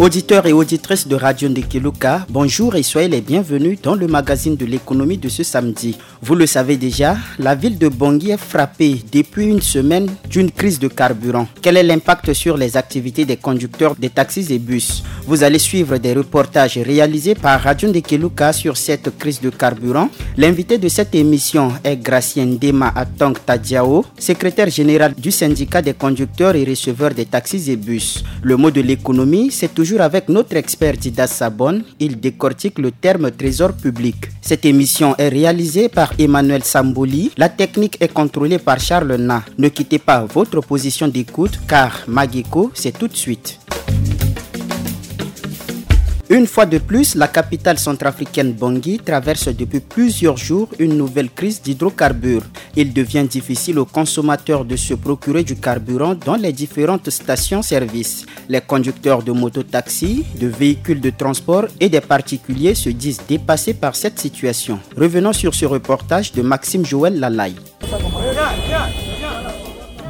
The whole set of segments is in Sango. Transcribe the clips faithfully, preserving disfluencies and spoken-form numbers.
Auditeurs et auditrices de Radio Ndekeluka, bonjour et soyez les bienvenus dans le magazine de l'économie de ce samedi. Vous le savez déjà, la ville de Bangui est frappée depuis une semaine d'une crise de carburant. Quel est l'impact sur les activités des conducteurs des taxis et bus ? Vous allez suivre des reportages réalisés par Radio Ndekeluka sur cette crise de carburant. L'invité de cette émission est Gracien Dema Atang Tadiao, secrétaire général du syndicat des conducteurs et receveurs des taxis et bus. Le mot de l'économie, c'est toujours avec notre expert Dida Sabon. Il décortique le terme trésor public. Cette émission est réalisée par Emmanuel Samboli. La technique est contrôlée par Charles Na. Ne quittez pas votre position d'écoute car Mageko, c'est tout de suite. Une fois de plus, la capitale centrafricaine Bangui traverse depuis plusieurs jours une nouvelle crise d'hydrocarbures. Il devient difficile aux consommateurs de se procurer du carburant dans les différentes stations-service. Les conducteurs de mototaxis, de véhicules de transport et des particuliers se disent dépassés par cette situation. Revenons sur ce reportage de Maxime Joël Lalaye.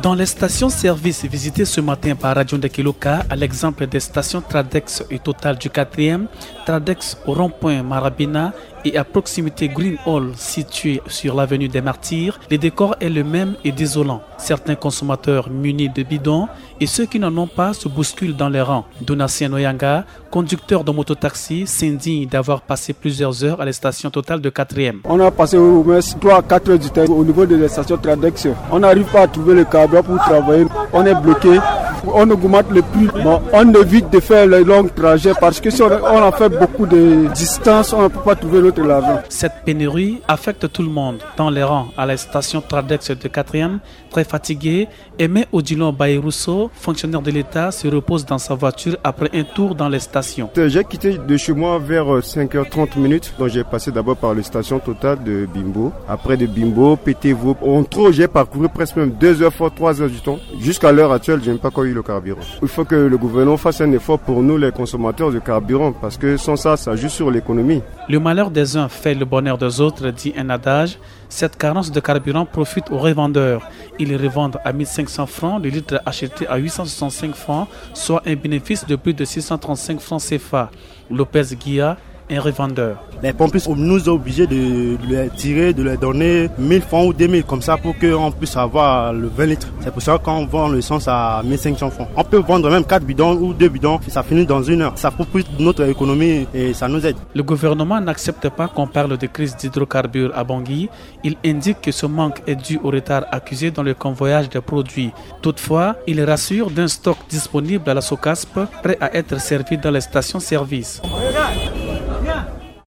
Dans les stations-service visitées ce matin par Radio Ndekeloka, à l'exemple des stations Tradex et Total du quatrième, Tradex au rond-point Marabina et à proximité Green Hall situé sur l'avenue des Martyrs, le décor est le même et désolant. Certains consommateurs munis de bidons et ceux qui n'en ont pas se bousculent dans les rangs. Donatien Noyanga, conducteur de mototaxi, s'indigne d'avoir passé plusieurs heures à la station Total de quatrième. On a passé au moins trois à quatre heures du temps au niveau de la station Tradex. On n'arrive pas à trouver le carburant pour travailler. On est bloqué. On augmente le prix. Bon, on évite de faire les longs trajets parce que si on, on a fait beaucoup de distance, on ne peut pas trouver notre argent. Cette pénurie affecte tout le monde. Dans les rangs à la station Tradex de quatrième, très fatigué, Aimé Odilon Baïrousseau, fonctionnaire de l'État, se repose dans sa voiture après un tour dans les stations. J'ai quitté de chez moi vers, euh, cinq heures trente minutes. Donc j'ai passé d'abord par les stations Total de Bimbo. Après de Bimbo, Pétévo, en trop, j'ai parcouru presque même deux heures, fois trois heures du temps. Jusqu'à l'heure actuelle, je n'ai pas encore eu le carburant. Il faut que le gouvernement fasse un effort pour nous, les consommateurs de carburant, parce que sans ça, ça joue sur l'économie. Le malheur des uns fait le bonheur des autres, dit un adage. Cette carence de carburant profite aux revendeurs. Ils revendent à mille cinq cents francs le litre acheté à huit cent soixante-cinq francs, soit un bénéfice de plus de six cent trente-cinq francs C F A. Lopez Guilla, un revendeur. Les pompes nous ont obligés de, de les tirer, de les donner mille francs ou deux mille comme ça pour qu'on puisse avoir le vingt litres. C'est pour ça qu'on vend l'essence à mille cinq cents francs. On peut vendre même quatre bidons ou deux bidons, ça finit dans une heure. Ça poursuit notre économie et ça nous aide. Le gouvernement n'accepte pas qu'on parle de crise d'hydrocarbures à Bangui. Il indique que ce manque est dû au retard accusé dans le convoyage des produits. Toutefois, il rassure d'un stock disponible à la SOCASP, prêt à être servi dans les stations-service.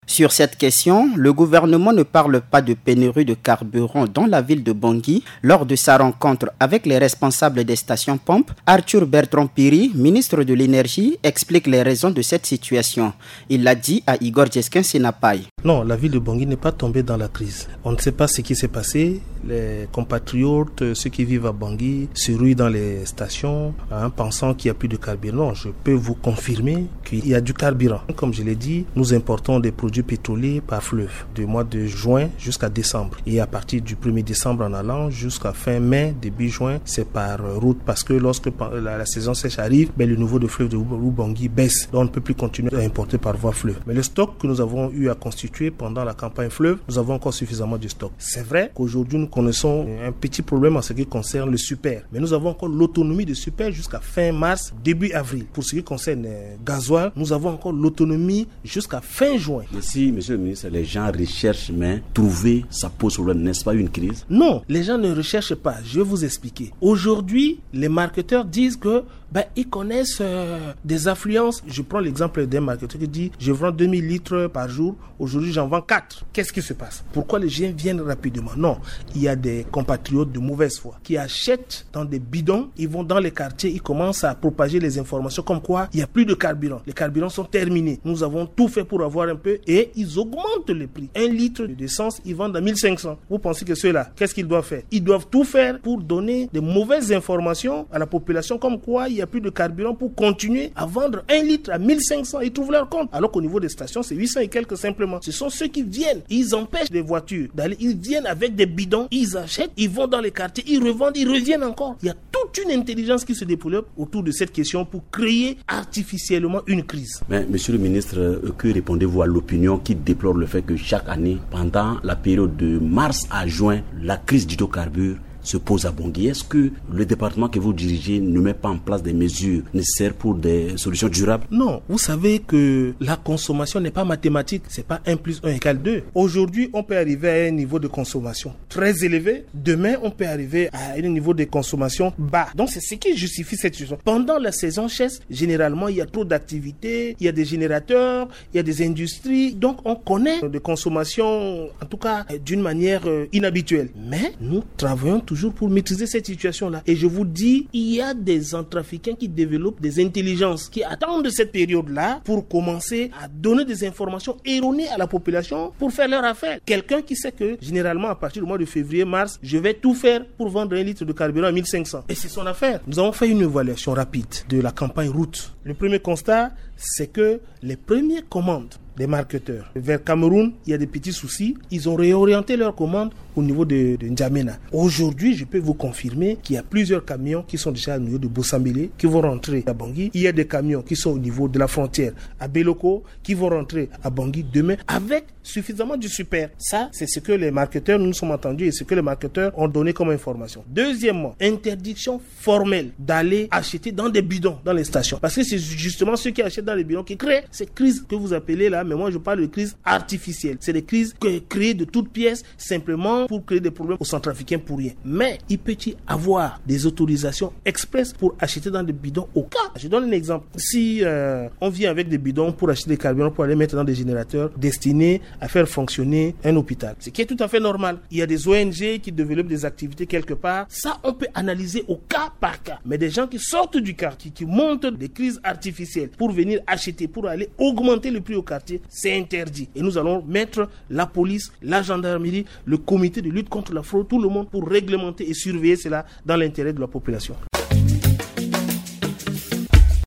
Sur cette question, le gouvernement ne parle pas de pénurie de carburant dans la ville de Bangui. Lors de sa rencontre avec les responsables des stations-pompes, Arthur Bertrand Piri, ministre de l'Énergie, explique les raisons de cette situation. Il l'a dit à Igor Djeskin Senapai. Non, la ville de Bangui n'est pas tombée dans la crise. On ne sait pas ce qui s'est passé. Les compatriotes, ceux qui vivent à Bangui, se ruent dans les stations, hein, pensant qu'il n'y a plus de carburant. Non, je peux vous confirmer qu'il y a du carburant. Comme je l'ai dit, nous importons des produits pétroliers par fleuve, du mois de juin jusqu'à décembre. Et à partir du premier décembre en allant jusqu'à fin mai, début juin, c'est par route. Parce que lorsque pa-, la, la saison sèche arrive, ben, le niveau de fleuve de Oub-, Oubangui baisse. Donc on ne peut plus continuer à importer par voie fleuve. Mais le stock que nous avons eu à constituer pendant la campagne fleuve, nous avons encore suffisamment de stock. C'est vrai qu'aujourd'hui, nous connaissons un petit problème en ce qui concerne le super. Mais nous avons encore l'autonomie de super jusqu'à fin mars, début avril. Pour ce qui concerne, euh, gasoil, nous avons encore l'autonomie jusqu'à fin juin. Mais si, monsieur le ministre, les gens recherchent, mais trouver, ça pose problème, n'est-ce pas une crise ? Non, les gens ne recherchent pas. Je vais vous expliquer. Aujourd'hui, les marketeurs disent que, ben, ils connaissent, euh, des affluences. Je prends l'exemple d'un marketeur qui dit, je vends deux mille litres par jour. Aujourd'hui, j'en vends quatre. Qu'est-ce qui se passe ? Pourquoi les gens viennent rapidement ? Non, il y a des compatriotes de mauvaise foi qui achètent dans des bidons, ils vont dans les quartiers, ils commencent à propager les informations comme quoi il n'y a plus de carburant. Les carburants sont terminés. Nous avons tout fait pour avoir un peu et ils augmentent le prix. Un litre d'essence, ils vendent à mille cinq cents. Vous pensez que ceux-là, qu'est-ce qu'ils doivent faire ? Ils doivent tout faire pour donner des mauvaises informations à la population comme quoi il n'y a plus de carburant pour continuer à vendre un litre à mille cinq cents. Ils trouvent leur compte. Alors qu'au niveau des stations, c'est huit cents et quelques simplement. Ce sont ceux qui viennent, ils empêchent des voitures d'aller, ils viennent avec des bidons, ils achètent, ils vont dans les quartiers, ils revendent, ils reviennent encore. Il y a toute une intelligence qui se développe autour de cette question pour créer artificiellement une crise. Mais, monsieur le ministre, euh, que répondez-vous à l'opinion qui déplore le fait que chaque année, pendant la période de mars à juin, la crise d'hydrocarbures se pose à Bangui? Est-ce que le département que vous dirigez ne met pas en place des mesures nécessaires pour des solutions durables? Non, vous savez que la consommation n'est pas mathématique, c'est pas un plus un égale deux. Aujourd'hui, on peut arriver à un niveau de consommation très élevé. Demain, on peut arriver à un niveau de consommation bas. Donc, c'est ce qui justifie cette situation. Pendant la saison sèche, généralement, il y a trop d'activités, il y a des générateurs, il y a des industries. Donc, on connaît des consommations, en tout cas, euh, d'une manière, euh, inhabituelle. Mais nous travaillons toujours pour maîtriser cette situation-là. Et je vous dis, il y a des centrafricains qui développent des intelligences, qui attendent cette période-là pour commencer à donner des informations erronées à la population pour faire leur affaire. Quelqu'un qui sait que, généralement, à partir du mois de février, mars, je vais tout faire pour vendre un litre de carburant à mille cinq cents. Et c'est son affaire. Nous avons fait une évaluation rapide de la campagne route. Le premier constat, c'est que les premières commandes des marketeurs vers Cameroun, il y a des petits soucis. Ils ont réorienté leurs commandes au niveau de, de N'Djamena. Aujourd'hui, je peux vous confirmer qu'il y a plusieurs camions qui sont déjà au niveau de Bossambélé, qui vont rentrer à Bangui. Il y a des camions qui sont au niveau de la frontière à Beloko, qui vont rentrer à Bangui demain avec suffisamment du super. Ça, c'est ce que les marketeurs, nous nous sommes entendus et ce que les marketeurs ont donné comme information. Deuxièmement, interdiction formelle d'aller acheter dans des bidons dans les stations. Parce que c'est justement ceux qui achètent dans les bidons qui créent ces crises que vous appelez là, mais moi je parle de crises artificielles. C'est des crises que, créées de toutes pièces, simplement pour créer des problèmes aux Centrafricains pour rien. Mais il peut y avoir des autorisations express pour acheter dans des bidons au cas. Je donne un exemple. Si, euh, on vient avec des bidons pour acheter des carburants pour aller mettre dans des générateurs destinés à faire fonctionner un hôpital, ce qui est tout à fait normal. Il y a des O N G qui développent des activités quelque part. Ça, on peut analyser au cas par cas. Mais des gens qui sortent du quartier, qui montent des crises artificielles pour venir acheter, pour aller augmenter le prix au quartier, c'est interdit. Et nous allons mettre la police, la gendarmerie, le comité de lutte contre la fraude, tout le monde pour réglementer et surveiller cela dans l'intérêt de la population.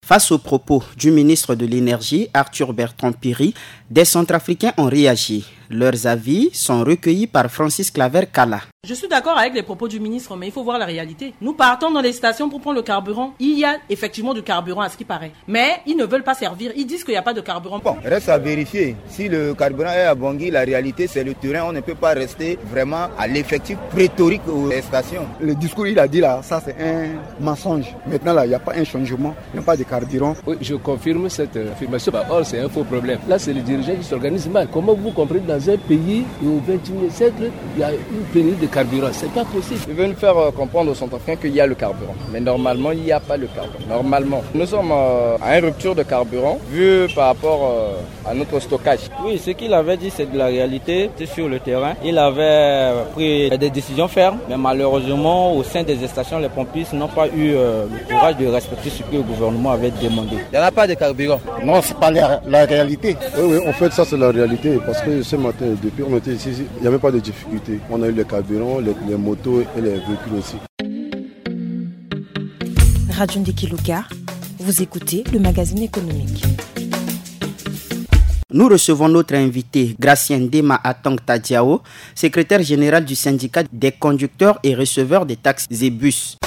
Face aux propos du ministre de l'Énergie, Arthur Bertrand Piri, des Centrafricains ont réagi. Leurs avis sont recueillis par Francis Claver Kala. Je suis d'accord avec les propos du ministre, mais il faut voir la réalité. Nous partons dans les stations pour prendre le carburant. Il y a effectivement du carburant, à ce qui paraît. Mais ils ne veulent pas servir. Ils disent qu'il n'y a pas de carburant. Bon, reste à vérifier. Si le carburant est à Bangui, la réalité, c'est le terrain. On ne peut pas rester vraiment à l'effectif pléthorique aux stations. Le discours, il a dit là, ça c'est un mensonge. Maintenant, là, il n'y a pas un changement. Il n'y a pas de carburant. Oui, je confirme cette, euh, affirmation. Bah, or, c'est un faux problème. Là, c'est les dirigeants qui s'organisent mal. Comment vous comprenez, dans un pays au vingt et unième siècle, il y a une pénurie de carburant? C'est pas possible. Ils veulent faire, euh, comprendre aux Centrafricains qu'il y a le carburant. Mais normalement, il n'y a pas le carburant. Normalement, nous sommes, euh, à une rupture de carburant vu par rapport, euh, à notre stockage. Oui, ce qu'il avait dit, c'est de la réalité. C'était sur le terrain. Il avait, euh, pris des décisions fermes, mais malheureusement, au sein des stations, les pompistes n'ont pas eu, euh, le courage de respecter ce que le gouvernement avait demandé. Il n'y en a pas de carburant. Non, c'est pas la, la réalité. Oui, oui, en fait, ça, c'est la réalité, parce que ce matin, depuis on était ici, il n'y avait pas de difficulté. On a eu les carburants, les, les motos et les véhicules aussi. Radio Ndeki Luka, vous écoutez le magazine économique. Nous recevons notre invité, Gracien Dema Atang Tadiao, secrétaire général du syndicat des conducteurs et receveurs des taxes et bus.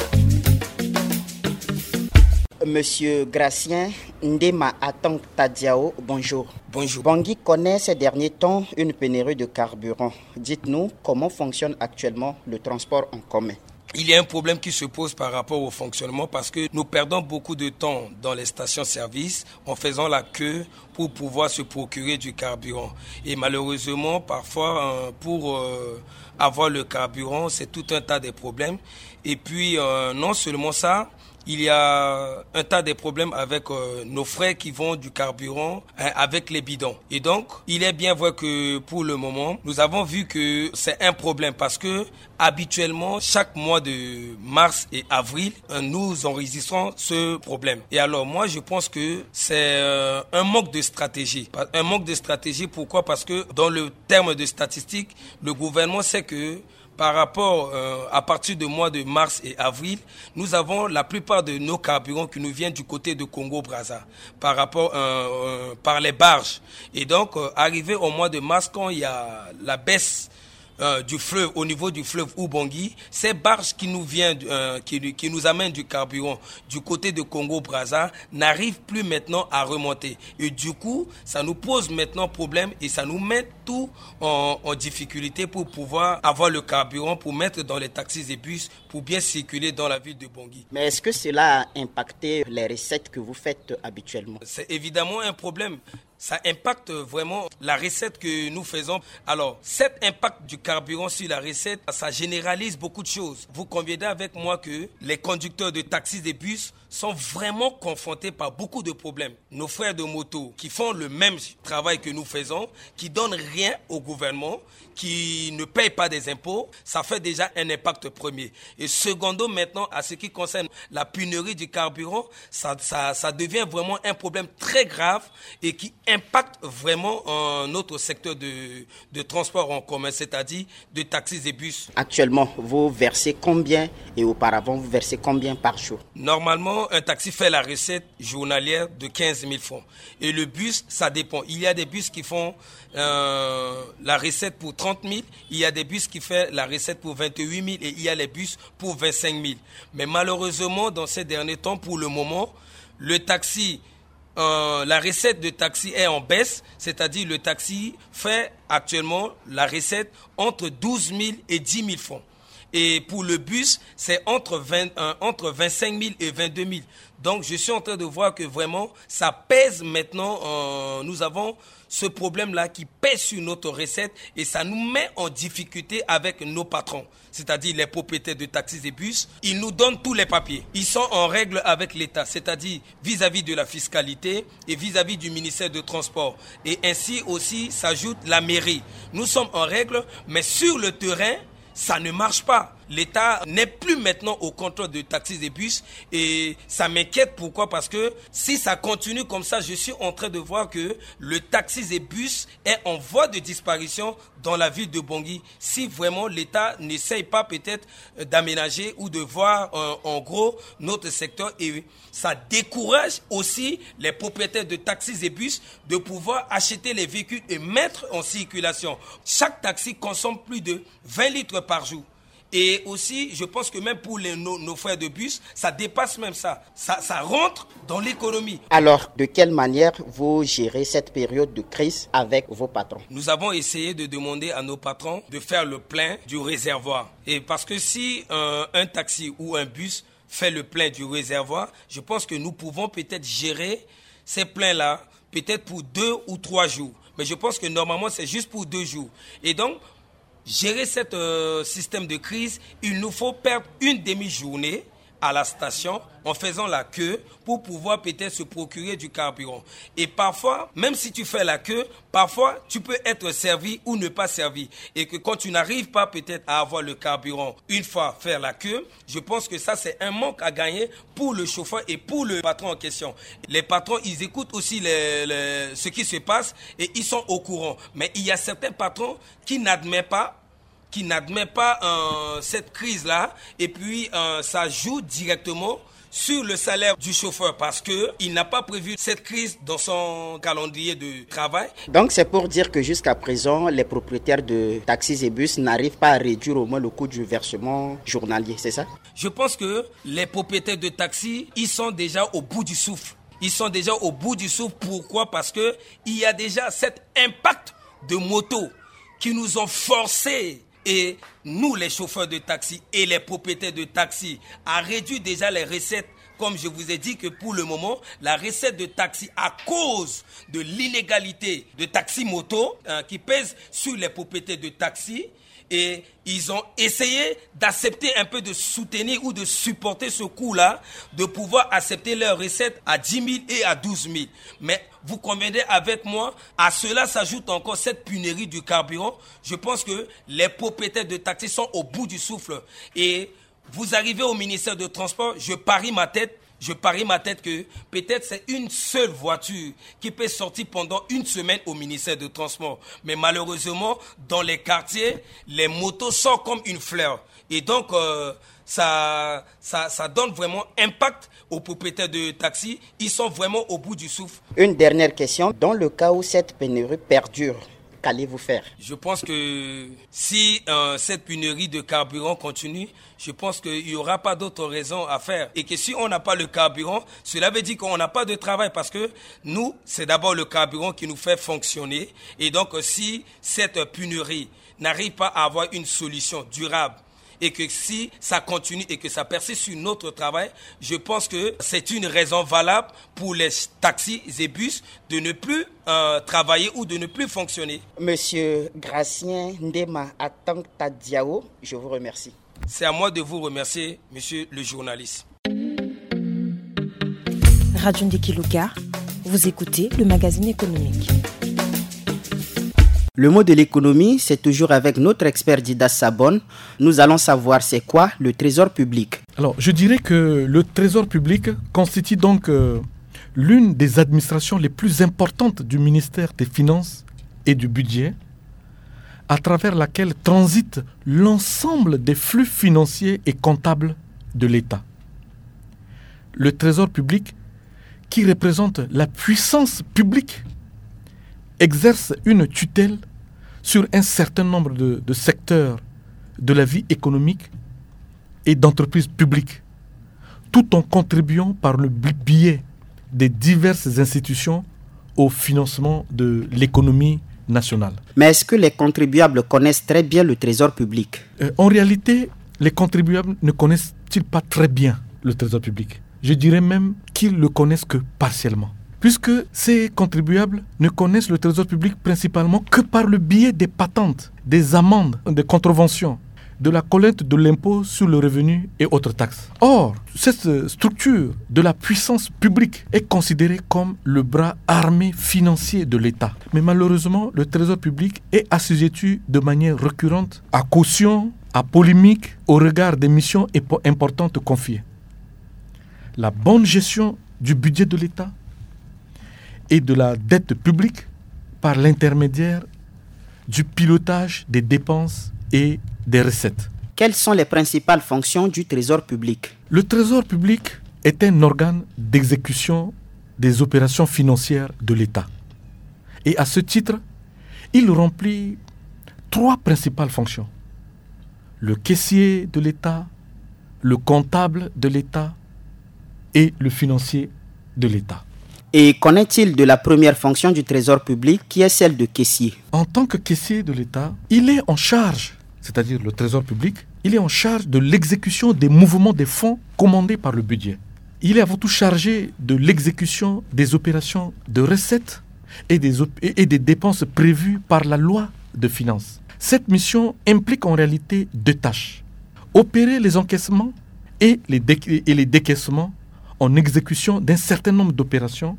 Monsieur Gracien Ndema Atang Tadiao, bonjour. Bonjour. Bangui connaît ces derniers temps une pénurie de carburant. Dites-nous comment fonctionne actuellement le transport en commun. Il y a un problème qui se pose par rapport au fonctionnement parce que nous perdons beaucoup de temps dans les stations-service en faisant la queue pour pouvoir se procurer du carburant. Et malheureusement, parfois, euh, pour, euh, avoir le carburant, c'est tout un tas de problèmes. Et puis, euh, non seulement ça, il y a un tas de problèmes avec, euh, nos frais qui vont du carburant, hein, avec les bidons. Et donc, il est bien vrai que pour le moment, nous avons vu que c'est un problème parce que habituellement, chaque mois de mars et avril, euh, nous enregistrons ce problème. Et alors, moi, je pense que c'est, euh, un manque de stratégie. Un manque de stratégie, pourquoi ? Parce que dans le terme de statistique, le gouvernement sait que Par rapport, euh, à partir du mois de mars et avril, nous avons la plupart de nos carburants qui nous viennent du côté de Congo-Brazza, par rapport, euh, euh, par les barges. Et donc, euh, arrivé au mois de mars, quand il y a la baisse, euh, du fleuve, au niveau du fleuve Ubangui, ces barges qui nous viennent, euh, qui, qui nous amènent du carburant du côté de Congo-Brazza n'arrivent plus maintenant à remonter. Et du coup, ça nous pose maintenant problème et ça nous met tout en, en difficulté pour pouvoir avoir le carburant pour mettre dans les taxis et bus pour bien circuler dans la ville de Bangui. Mais est-ce que cela a impacté les recettes que vous faites habituellement ? C'est évidemment un problème. Ça impacte vraiment la recette que nous faisons. Alors, cet impact du carburant sur la recette, ça généralise beaucoup de choses. Vous conviendrez avec moi que les conducteurs de taxis et bus sont vraiment confrontés par beaucoup de problèmes. Nos frères de moto qui font le même travail que nous faisons, qui donnent rien au gouvernement, qui ne payent pas des impôts, ça fait déjà un impact premier. Et secondo, maintenant, à ce qui concerne la pénurie du carburant, ça, ça, ça devient vraiment un problème très grave et qui impacte vraiment, euh, notre secteur de, de transport en commun, c'est-à-dire de taxis et bus. Actuellement, vous versez combien et auparavant, vous versez combien par jour ? Normalement, un taxi fait la recette journalière de quinze mille francs. Et le bus, ça dépend. Il y a des bus qui font, euh, la recette pour trente mille, il y a des bus qui font la recette pour vingt-huit mille et il y a les bus pour vingt-cinq mille. Mais malheureusement, dans ces derniers temps, pour le moment, le taxi, euh, la recette de taxi est en baisse, c'est-à-dire le taxi fait actuellement la recette entre douze mille et dix mille francs. Et pour le bus, c'est entre vingt, euh, entre vingt-cinq mille et vingt-deux mille. Donc, je suis en train de voir que vraiment, ça pèse maintenant. Euh, nous avons ce problème-là qui pèse sur notre recette et ça nous met en difficulté avec nos patrons, c'est-à-dire les propriétaires de taxis et bus. Ils nous donnent tous les papiers. Ils sont en règle avec l'État, c'est-à-dire vis-à-vis de la fiscalité et vis-à-vis du ministère de Transport. Et ainsi aussi s'ajoute la mairie. Nous sommes en règle, mais sur le terrain, ça ne marche pas. L'État n'est plus maintenant au contrôle de taxis et bus et ça m'inquiète. Pourquoi ? Parce que si ça continue comme ça, je suis en train de voir que le taxis et bus est en voie de disparition dans la ville de Bangui. Si vraiment l'État n'essaye pas peut-être, euh, d'aménager ou de voir, euh, en gros notre secteur et ça décourage aussi les propriétaires de taxis et bus de pouvoir acheter les véhicules et mettre en circulation. Chaque taxi consomme plus de vingt litres par jour. Et aussi, je pense que même pour les, nos, nos frères de bus, ça dépasse même ça. Ça, ça rentre dans l'économie. Alors, de quelle manière vous gérez cette période de crise avec vos patrons ? Nous avons essayé de demander à nos patrons de faire le plein du réservoir. Et parce que si, euh, un taxi ou un bus fait le plein du réservoir, je pense que nous pouvons peut-être gérer ces pleins-là peut-être pour deux ou trois jours. Mais je pense que normalement, c'est juste pour deux jours. Et donc, gérer ce, euh, système de crise, il nous faut perdre une demi-journée à la station en faisant la queue pour pouvoir peut-être se procurer du carburant. Et parfois, même si tu fais la queue, parfois tu peux être servi ou ne pas servi. Et que quand tu n'arrives pas peut-être à avoir le carburant une fois faire la queue, je pense que ça c'est un manque à gagner pour le chauffeur et pour le patron en question. Les patrons, ils écoutent aussi les, les, ce qui se passe et ils sont au courant. Mais il y a certains patrons qui n'admettent pas qui n'admet pas, euh, cette crise-là, et puis, euh, ça joue directement sur le salaire du chauffeur parce que il n'a pas prévu cette crise dans son calendrier de travail. Donc c'est pour dire que jusqu'à présent, les propriétaires de taxis et bus n'arrivent pas à réduire au moins le coût du versement journalier, c'est ça ? Je pense que les propriétaires de taxis, ils sont déjà au bout du souffle. Ils sont déjà au bout du souffle. Pourquoi ? Parce que il y a déjà cet impact de moto qui nous ont forcés, et nous, les chauffeurs de taxi et les propriétaires de taxi, à réduire déjà les recettes. Comme je vous ai dit que pour le moment, la recette de taxi, à cause de l'inégalité de taxi moto, euh, qui pèse sur les propriétaires de taxi, et ils ont essayé d'accepter un peu de soutenir ou de supporter ce coût-là, de pouvoir accepter leurs recettes à dix mille et à douze mille. Mais vous conviendrez avec moi, à cela s'ajoute encore cette pénurie du carburant. Je pense que les propriétaires de taxis sont au bout du souffle. Et vous arrivez au ministère de Transport, je parie ma tête, Je parie ma tête que peut-être c'est une seule voiture qui peut sortir pendant une semaine au ministère de Transport. Mais malheureusement, dans les quartiers, les motos sortent comme une fleur. Et donc, euh, ça, ça, ça donne vraiment impact aux propriétaires de taxis. Ils sont vraiment au bout du souffle. Une dernière question. Dans le cas où cette pénurie perdure, qu'allez-vous faire ? Je pense que si euh, cette pénurie de carburant continue, je pense qu'il n'y aura pas d'autre raison à faire. Et que si on n'a pas le carburant, cela veut dire qu'on n'a pas de travail parce que nous, c'est d'abord le carburant qui nous fait fonctionner. Et donc, euh, si cette pénurie n'arrive pas à avoir une solution durable et que si ça continue et que ça persiste sur notre travail, je pense que c'est une raison valable pour les taxis et bus de ne plus euh, travailler ou de ne plus fonctionner. Monsieur Gracien Ndema Atang Tadiao, je vous remercie. C'est à moi de vous remercier, monsieur le journaliste. Radio Ndeki Luka, vous écoutez le magazine économique. Le mot de l'économie, c'est toujours avec notre expert Dida Sabon. Nous allons savoir c'est quoi le trésor public. Alors, je dirais que le trésor public constitue donc euh, l'une des administrations les plus importantes du ministère des Finances et du Budget, à travers laquelle transite l'ensemble des flux financiers et comptables de l'État. Le trésor public, qui représente la puissance publique, exerce une tutelle sur un certain nombre de, de secteurs de la vie économique et d'entreprises publiques, tout en contribuant par le biais des diverses institutions au financement de l'économie nationale. Mais est-ce que les contribuables connaissent très bien le trésor public ? Euh, en réalité, les contribuables ne connaissent-ils pas très bien le trésor public ? Je dirais même qu'ils le connaissent que partiellement. Puisque ces contribuables ne connaissent le trésor public principalement que par le biais des patentes, des amendes, des contraventions, de la collecte de l'impôt sur le revenu et autres taxes. Or, cette structure de la puissance publique est considérée comme le bras armé financier de l'État. Mais malheureusement, le trésor public est assujetti de manière récurrente à caution, à polémique au regard des missions importantes confiées. La bonne gestion du budget de l'État et de la dette publique par l'intermédiaire du pilotage des dépenses et des recettes. Quelles sont les principales fonctions du trésor public ? Le trésor public est un organe d'exécution des opérations financières de l'État. Et à ce titre, il remplit trois principales fonctions. Le caissier de l'État, le comptable de l'État et le financier de l'État. Et qu'en est-il de la première fonction du trésor public, qui est celle de caissier ? En tant que caissier de l'État, il est en charge, c'est-à-dire le trésor public, il est en charge de l'exécution des mouvements des fonds commandés par le budget. Il est avant tout chargé de l'exécution des opérations de recettes et des, et des dépenses prévues par la loi de finances. Cette mission implique en réalité deux tâches. Opérer les encaissements et les, dé et les décaissements en exécution d'un certain nombre d'opérations.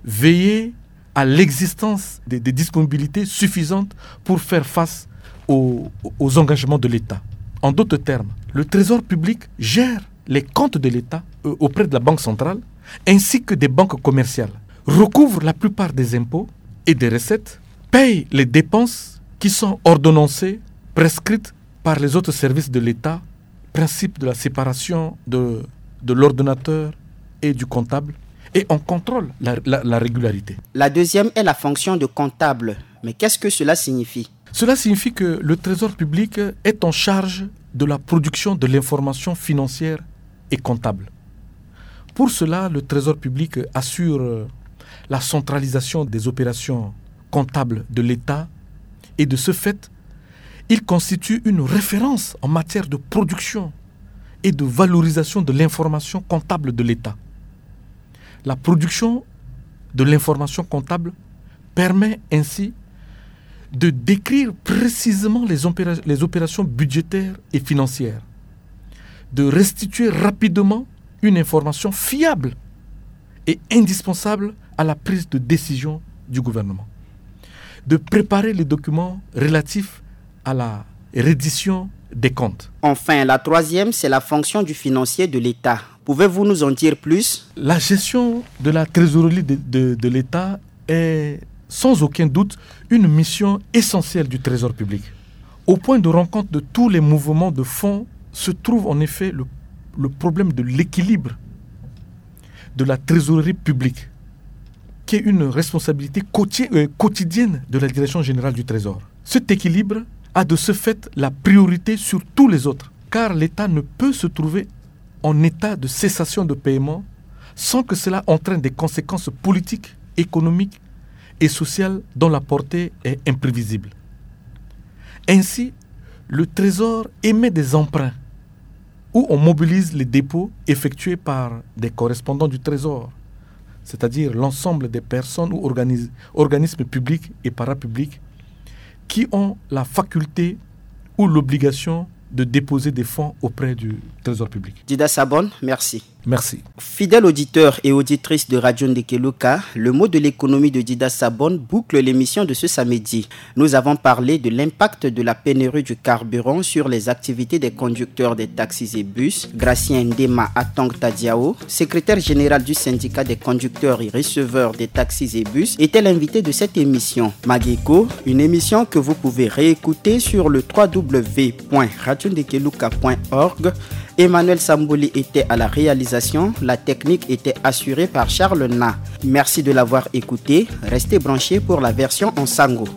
Veiller à l'existence des, des disponibilités suffisantes pour faire face aux, aux engagements de l'État. En d'autres termes, le trésor public gère les comptes de l'État euh, auprès de la Banque centrale ainsi que des banques commerciales, recouvre la plupart des impôts et des recettes, paye les dépenses qui sont ordonnancées, prescrites par les autres services de l'État, principe de la séparation de, de l'ordonnateur et du comptable, et on contrôle la, la, la régularité. La deuxième est la fonction de comptable. Mais qu'est-ce que cela signifie ? Cela signifie que le trésor public est en charge de la production de l'information financière et comptable. Pour cela, le trésor public assure la centralisation des opérations comptables de l'État et de ce fait, il constitue une référence en matière de production et de valorisation de l'information comptable de l'État. La production de l'information comptable permet ainsi de décrire précisément les, opéra les opérations budgétaires et financières, de restituer rapidement une information fiable et indispensable à la prise de décision du gouvernement, de préparer les documents relatifs à la reddition des comptes. Enfin, la troisième, c'est la fonction du financier de l'État. Pouvez-vous nous en dire plus ? La gestion de la trésorerie de, de, de l'État est sans aucun doute une mission essentielle du Trésor public, au point de rencontre de tous les mouvements de fonds se trouve en effet le, le problème de l'équilibre de la trésorerie publique, qui est une responsabilité quoti-, euh, quotidienne de la Direction générale du Trésor. Cet équilibre a de ce fait la priorité sur tous les autres, car l'État ne peut se trouver en état de cessation de paiement sans que cela entraîne des conséquences politiques, économiques et sociales dont la portée est imprévisible. Ainsi, le Trésor émet des emprunts où on mobilise les dépôts effectués par des correspondants du Trésor, c'est-à-dire l'ensemble des personnes ou organis-, organismes publics et parapublics qui ont la faculté ou l'obligation de déposer des fonds auprès du Trésor public. Dida Sabon, merci. Merci. Fidèles auditeurs et auditrices de Radio Ndekeluka, le mot de l'économie de Dida Sabon boucle l'émission de ce samedi. Nous avons parlé de l'impact de la pénurie du carburant sur les activités des conducteurs des taxis et bus. Gracien Ndema Atong Tadiao, secrétaire général du syndicat des conducteurs et receveurs des taxis et bus, était l'invité de cette émission. Mageko, une émission que vous pouvez réécouter sur le trois W point radio ndekeluka point org. Emmanuel Samboli était à la réalisation. La technique était assurée par Charles Na. Merci de l'avoir écouté. Restez branchés pour la version en sango.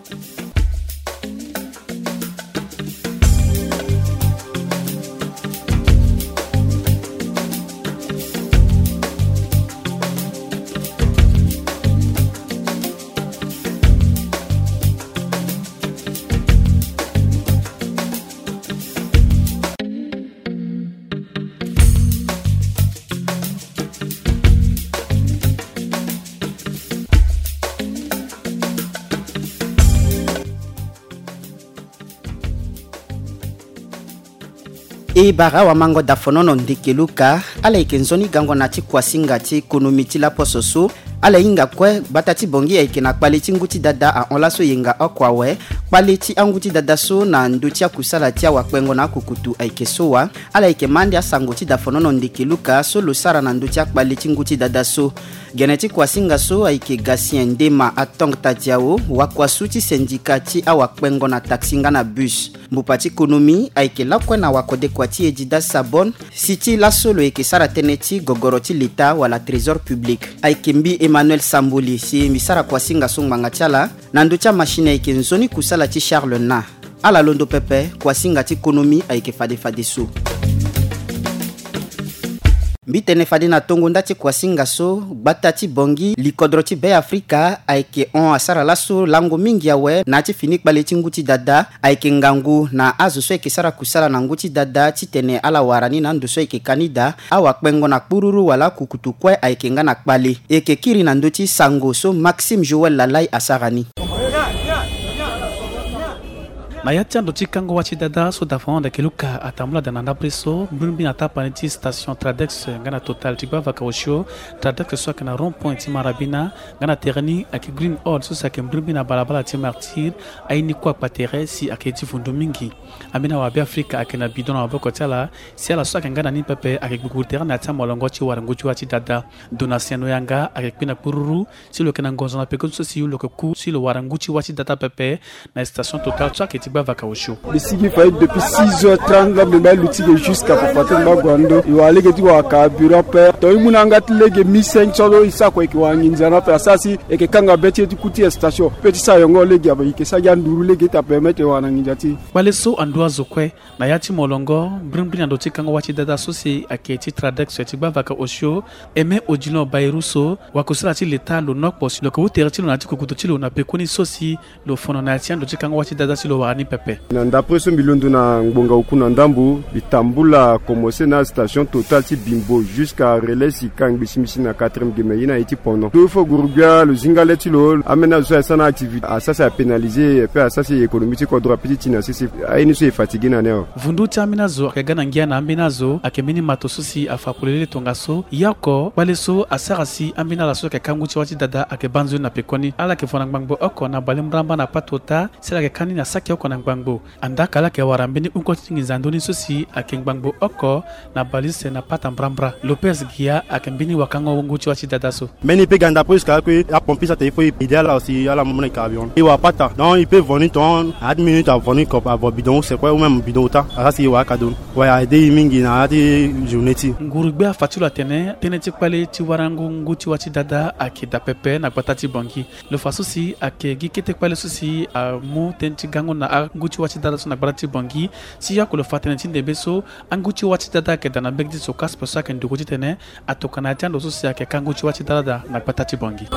E bara wamango dafonono Ndekeluka, ala yeke nzoni gango na ti kuasinga ti konomi ti laposo so. Ala hinga kue gbata ti Bongi ayeke na kpale ti ngu ti dada ahon laso yenga oko awe. Kpale ti angu ti dada so na ndö ti akusala ti awakpengo na akukutu ayeke so wa. Ala yeke ma ande asango ti dafonono Ndekeluka so lo sara na ndö ti akpale ti ngu ti dada so. Gene ti kuasinga so ayeke Gatien Ndema Atong Tadiao, wakuasu ti sendika ti awakpengo na taxi nga na bus. Mbupa ti konomi ayeke lakue na wakodekua ti e Dida Sabon, si ti laso lo yeke sara tënë ti gogoro ti leta wala trésor public. Ayeke mbi Emmanuel Samboli si mbi sara kuasinga so ngbanga ti ala. Na ndö ti amachine ayeke nzoni kusala ti Charles Na. Ala londo pepe, kuasinga ti konomi ayeke fade fadeso. Mbi tene fade na tongo nda ti kuasinga so, gbata ti Bongi, likodro ti Be Afrika ayeke hon asara laso lango mingi awe na ya ti fini kpale ti ngu ti dada. Ayeke ngangu na azo so ayeke sara kusala na ngu ti dada titene ala wara ni na ando so ayeke ka ni daa. Awakpengo na kpururu wala akukutu kue ayeke nga na kpale. E yeke kiri na ndö ti sango so Maxime Joël Lalai asara ni. Na ya ti ando ti kango wâ ti dada so dafonono Ndekeluka atambula daa na ndapre so, mbrimbri na tapani ti station Tradex nga na Total ti gbavaka osio. Tradex so ayeke na rond point ti Marabina, nga na tere ni ayeke Green Hall so si ayeke mbrimbri na balabala ti Martyr. Aye ni kue akpa tere si ayeke ye ti vundu mingi. Ambeni awabe Afrika ayeke na bidon na maboko ti ala. Si ala so ayeke nga na ni pepe ayeke gbugburu tere na ya ti amolongo ti wara ngu ti wâ ti dada. Donatien Noyanga ayeke kpe na kpururu si lo yeke na ngonzo na peko ti so si lo yeke ku si lo wara ngu ti wâ ti dada pepe. Na station Total so ayeke ti gbavaka osio. Mbi sigi faillite depuis six heures trente, nga mbi ma luti ge jusqu'à papa ti mbago ando. E wara lege ti wara carburant ape. Tongana e mu na yanga ti lege mille cinq cents so e sara kua e yeke wara nginza ni ape. Asara si e yeke kanga be ti e ti ku ti station. Pe ti sara yongo lege ape e yeke sara gi anduru lege ti apermettre e wara na nginza ti e. Kpale so andu azo kue. Na ya ti molongo, mbrimbri na ndo ti kango wâ ti dada so si ayeke ti Tradex ti gbavaka osio, Aimé Odilon Bayrou so, wakusala ti leta lo nokpo si lo yeke hu tere ti lo na ya ti kukutu ti lo na pekoni so si lo fono na ya ti ando ti kango wâ ti dada si lo wara ni pepe. Na ndapre so mbi londo na ngbonga oku na ndambo, mbi tambula komanse na station Total ti Bimbo jusqu'à relais si ka ngbisimisi na quatrième geme ye na ye ti pono. Ndo fo guru gbia lo zinga le ti lo, ambeni azo so asara na activité asara si apénalisé, ape asara si économie ti kodro ape ti ti na sese. Aye ni so e fatigué na ni awe. Vundu ti ambeni azo ayeke ga na ngia na ambeni azo, ayeke mbeni mato so si afa polele tongaso. Ye oko, kpale so asara si ambeni ala so ayeke ka ngu ti wâ ti dada ayeke baa nzoni na pekoni. Ala yeke vo na ngbangbo oko na bale mramba na patota, si ala yeke ka ni na saki oko na ngbangbo. Andaa ka ala yeke wara mbeni hungo ti nginza ndoni so si ayeke ngbangbo oko na Balise na Pata Mbrambra. Lopez Gia ayeke mbeni wakango ngu ti wa ti dada so. Mbeni pe ga ndapre jusqu'à que apompier so atene il faut e aider ala aussi, ala mu na e carburant. E wara Pata, donc e peut voni ton, à dix minutes avoni ko avo bidon use kue ou même bidon ota, asara si e wara aka do. Wala e aide e mingi na ya ti journée ti e. Nguru-gbia afa ti lo atene tënë ti kpale ti warango ngu ti wa ti dada ayeke daa pepe na gbata ti Bangui. Lo fa so si ayeke gi kete kpale so si amu tënë ti gango na angu ti wa ti dada so na gbata ti Bangui. Si yako lo fa tënë ti ndembe so angu ti wa ti dada ayeke daa na mbege ti Socasp so ayeke nduru titene atokua na ya ti ando so si ayeke ka ngu ti wa ti dada na gbata ti Bangui.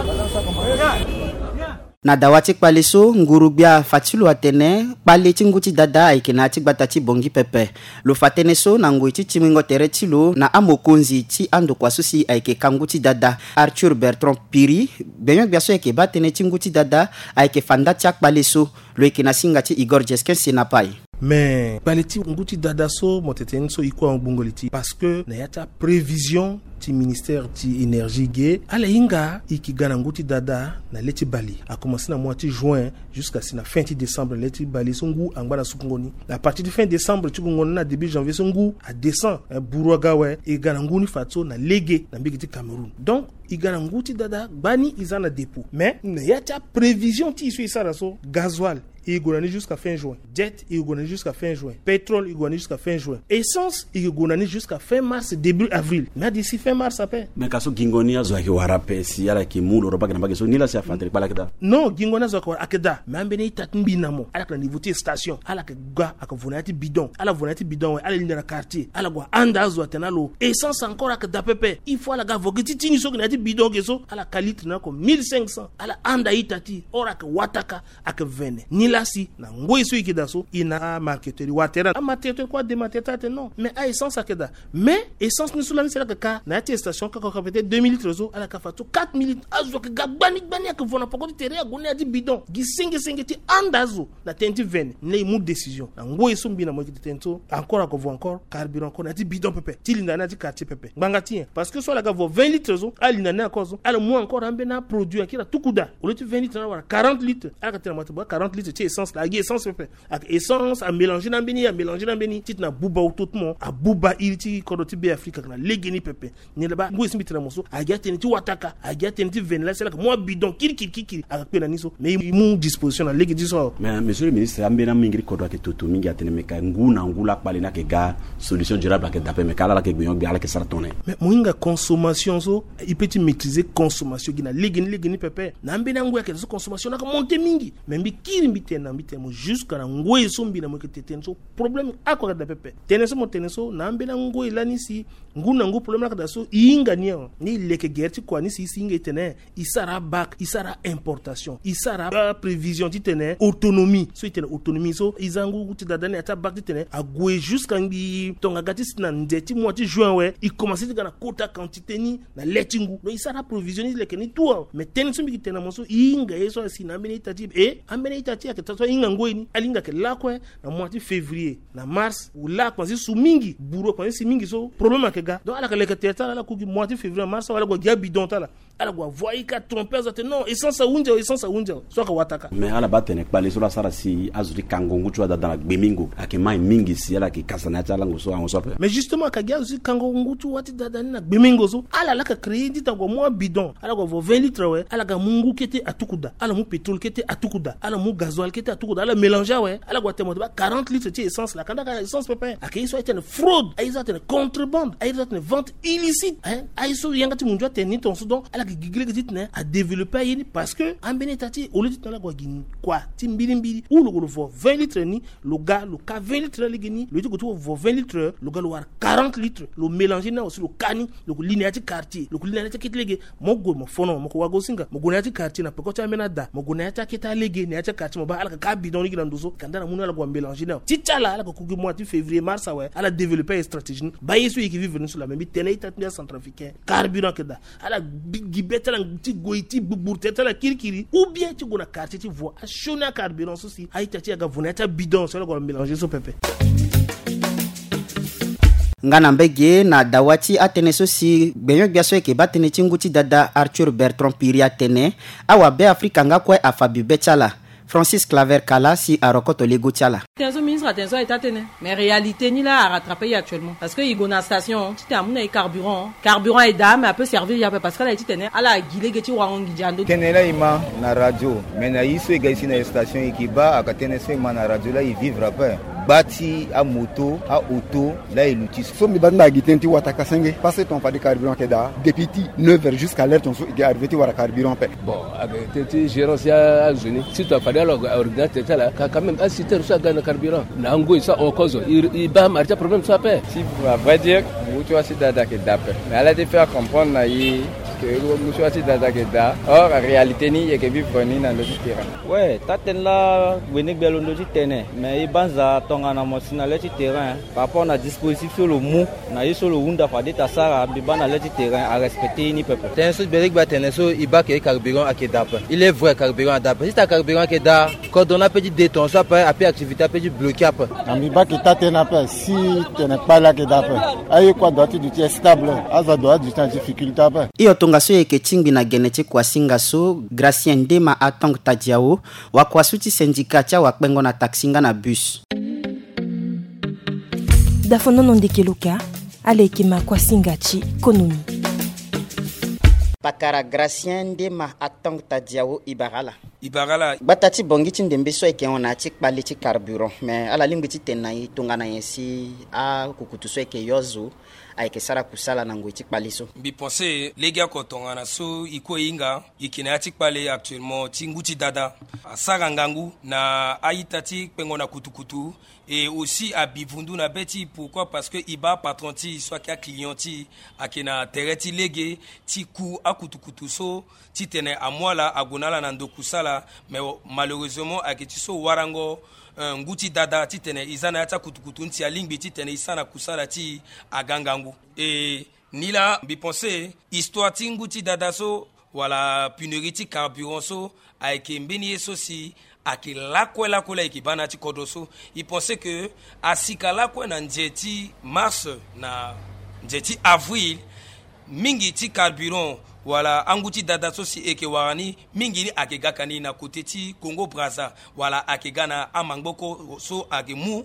Na dawa ti kpale so, nguru-gbia afa ti lo atene kpale ti ngu ti dada ayeke na ya ti gbata ti Bangui pepe. Lo fa tënë so na ngoi ti tingbingo tere ti lo na amokonzi ti andokua so si ayeke ka ngu ti dada, Arthur Bertrand Piri. Gbenyo-gbia so ayeke baa tënë ti ngu ti dada ayeke fa nda ti akpale so. Lo yeke na singa ti Igor Jesquin Senapai. Me kpale ti ngu ti dada so mo tene ni so e kue ahon gbungo li ti e, parce que na ya ti aprévision ti ministère ti énergie ge, ala hinga e yeke ga na ngu ti dada na le ti bale. Akomanse na mois ti juin jusqu'à si na fin ti décembre, le ti bale so ngu angba na sukungo ni. À partir ti fin décembre ti gongo ni na début janvier so ngu adescend, eh, buru aga awe. E ga na ngu ni fadeso na lege na mbege ti Cameroun. Donc e ga na ngu ti dada gbani e za na dépôt. Mais na ya ti aprévision ti e so e sara so, gasoil e gue na ni jusqu'à fin juin. Jet e gue na ni jusqu'à fin juin. Pétrole e gue na ni jusqu'à fin juin. Essence e gue na ni jusqu'à fin mars, début avril. Mais adi si fin mars ape. Mais ka so gingo ni azo ayeke wara ape si ala yeke mu lo roba ge na mbage so ni la si afa tere kpale ayeke daa. Non, gingo ni azo ayeke wara ayeke daa. Mais ambeni ita ti mbi na mo ala yeke na niveau ti station, ala yeke ga, ayeke vo na ya ti bidon. Ala vo na ya ti bidon awe, ala linda na quartier, ala gue anda azo atene na lo essence encore ayeke daa pepe. Il faut ala ga vo gi ti ti ni so ge na ya ti bidon ge so, ala ka litre na oko mille cinq cents, ala anda ita ti e. Or ayeke wataka, ayeke vene. Ni la si na ngoi so e yeke daa so, e na amarketeur, e wara tere. Amarketeur kue ademarketeur atene non, mais a-essence ayeke daa. Mais essence ni so lani si ala yeke ka na ya ti station kaka, kaka peut-être deux mille litres so, ala yeke fa so quatre mille litres. Azo ayeke ga gbani gbani, ayeke vo na poko ti tere, ague ni na ya ti bidon. Gi senge senge ti anda azo na tënë ti vene. Ni la e mu décision na ngoi so mbi na mo e yeke tene so, encore ayeke vo encore carburant encore na ya ti bidon pepe, ti linda ni na ya ti quartier pepe. Ngbanga ti nyen? Parce que so ala ga vo vingt litres so, ala linda ni encore so, ala mu encore ambeni aproduit akiri atuku daa. Au lieu ti vingt litres, ala wara quarante litres. Ala yeke tene na mo atene quarante litres ti essence laa, agi essence pepe. Ayeke essence amélange na ambeni, amélange na ambeni, titene abuba oto ti mo, abuba iri ti kodro ti Be Afrika ayeke na legeni pepe. Ni laa baa ngoi so mbi tene na mo so, agi atënë ti wataka, agi atënë ti vene la si ala yeke mu abidon kirikiri kirikiri, ayeke kpe na ni so. Mais e mu disposition na lege ti so awe. Mais monsieur le ministre, ambeni amingiri kodro ayeke toto mingi atene me ka ngu na ngu la kpale ni ayeke ga, solution durable ayeke daa ape, me ka ala la yeke gbenyo-gbia, ala yeke sara tongana nyen? Mais mo hinga consommation so, e peut ti maîtriser consommation gi na legeni legeni pepe. Na ambeni angoi ayeke daa so consommation ni ayeke monter mingi. Mais mbi kiri mbi tene na mbi tene mo jusqu'à na ngoi so mbi na mo yeke tene so problème oko ayeke daa pepe. Tënë so mo tene so na ambeni angoi lani si ngu na ngu problème ni ayeke daa so e hinga ni awe. Ni e leke gere ti kua ni si e si hinga e tene e sara abac, e sara importation, e sara aprévision titene autonomie. So e tene autonomie so e za ngu ti dada ni na ya ti abac titene ague jusqu'à ngbii tongaga ti si na nze ti mois ti juin awe, e commencer ti ga na kota quantité ni na le ti ngu. Donc e sara aprévision ni leke ni tout awe. Mais tënë so mbi yeke tene na mo so e hinga ye so asi na ambeni ita ti e, ambeni ita ti e ayeke taa so ahinga ngoi ni, ala hinga ayeke lakue na mois ti février na mars, laa akomanse su mingi, buru akomanse si mingi so problème ayeke ga. Donc ala yeke leke tere ti ala, ala ku gi mois ti février na mars awe, ala gue gi abidon ti ala. Ala gue avo aika tromper azo atene non, essence ahunzi awe, essence ahunzi awe. So ayeke wataka. Mais ala baa tene kpale so laa asara si azo ti kango ngu ti wa dada na gbemingo ayeke mai mingi si ala yeke kasa na ya ti alango so ahango so ape. Mais justement ayeke gi azo ti kango ngu ti wa ti dada ni na gbemingo so, ala laa ayeke créer ni ti tene ague amu abidon, ala gue avo vingt litres awe, ala ga amu ngu kete atuku daa, ala mu pétrole kete atuku daa, ala mu gasoil kete atuku daa, ala mélanger awe, ala gue atene mo ti baa quarante litres ti essence laa, ka nda ka essence pepe. Ayeke ye so aye ti tene fraude, aye so atene contrebande, aye so atene vente illicite, hein, aye so yanga ti mundu atene ni tongaso. Donc ala yeke gigi lege titene adévelopper aye ni, parce que ambeni ita ti e au lieu titene ala gue gi kua ti mbirimbiri ou lo gue lo vo vingt litres ni, lo ga lo ka vingt litres ni lege ni, lo ye ti gue ti vo vingt litres, lo ga lo wara quarante litres, lo mélanger ni awe si lo ka ni, lo gue li na ya ti quartier, lo gue li na ya ti akete lege. Mo gue mo fono, mo ko wago singa, mo gue na ya ti quartier na peko ti ambeni ada, mo gue na ya ti akete alege, na ya ti quartier, mo baa ala yeke ka abidon lege na ndo so, ka nda na mu ni ala gue amélanger ni awe. Ti ti ala, ala yeke ku gi mois ti février, mars awe, ala développer aye stratégie ni. Baa ye so e yeke vivre ni so laa, me mbi tene ita ti mbi acentrafricain, carburant ayeke daa. Ala bi gi be ti ala ti goi ti gbugburu tere ti ala kirikiri, ou bien ti gue na quartier ti vo asioni acarburant so si a-ita ti e aga vo na ya ti abidon so ala gue amélanger so pepe. Nga na mbege na dawa ti atënë so si gbenyo-gbia so ayeke baa tënë ti ngu ti dada Arthur Bertrand Piri atene, awabe Afrika nga kue afa bibe ti ala. Francis Claver Kala si arokoto lego ti ala. Tënë so ministre atene so aye taa tënë, mais réalité ni laa arattrape ye actuellement parce que e gue na station titene amu na e carburant. Carburant aye daa mais apeut servir ye ape parce que ala ye titene ala gi lege ti warango nginza ndo. Tënë laa e ma na radio, mais na ye so e ga e si na e station e yeke baa aka tënë so e ma na radio laa e vivre ape. Gba ti amoto, aoto, laa e luti so mbi baa ti mbi agi tënë ti wataka senge parce que ton fade carburant ayeke daa depuis ti neuf heures jusqu'à l'heure ton so e ga arrivé ti wara carburant ape. Bon, ayeke tënë ti gérance ya azo ni surtout afade ala ordinateur ti ala ka quand même asiter so aga na carburant na angoi so ahon kozo e baa mari ti aproblème so ape. Si à vrai dire ngu ti wasi dada ayeke daa ape, mais ala ti faire comprendre na e ke ngu ti wasi dada ayeke daa. Or réalité ni e yeke vivre ni na ndo ti terrain. Ouais, taa tënë laa wene gbe alondo ti tene, mais e banza tongana mo si na le ti terrain par rapport na dispositif so lo mu na ye so lo hunda fade ta sara mbi baa na le ti terrain arespecte ye ni pepe. Tënë so gbele gbe atene so e baa ke carburant ayeke daa ape. Il est vrai carburant ada ape, si ta carburant ayeke daa kodro ni apeut ti de ton so ape apeut activité apeut ti bloqué ape. Na mbi baa ke taa tënë ape si tene kpale ayeke daa ape. Aye kue adoit ti duti est stable, azo adoit ti duti na difficulté ape. Hio tongaso e yeke tingbi na gene ti kuasinga so Gracien Ndema Atong Tadiao, wakua so ti syndicat ti awakpengo na taxi nga na bus. Dafonono ndeke loka, ala yeke ma kuasinga ti konomi. Pakara Gracien Ndema Atong Tadiao, e bara ala. E bara ala. Gbata ti bongi ti ndembe so ayeke hon na ya ti kpale ti carburant, mais ala lingbi ti tene na e tongana nyen si akukutu so ayeke yo azo ayeke sara kusala na ngoi ti kpale so. Mbi pense lege oko tongana so e kue e hinga e yeke na ya ti kpale actuellement ti ngu ti dada asara ngangu na a-ita ti kpengo na kutukutu. E aussi abi vundu na be ti e. Pourquoi? Parce que e baa apatron ti e so ayeke aclient ti e ayeke na tere ti lege ti ku akutukutu so titene amu ala ague na ala na ndo kusala. Mais malheureusement ayeke ti so warango, eh, ngu ti dada titene e za na ya ti akutukutu ni si alingbi titene e sara na kusala ti e aga ngangu. E nilaa mbi pense histoire ti ngu ti dada so wala pénurie ti carburant so ayeke mbeni ye so si ayeke lakue lakue laa e yeke baa na ya ti kodro so. E pense que asika lakue na nze ti mars na nze ti avril, mingi ti carburant wala angu ti dada so si e yeke wara ni mingi ni ayeke gaka ni na kote ti Congo Brazza wala ayeke ga na amangboko so ayeke mu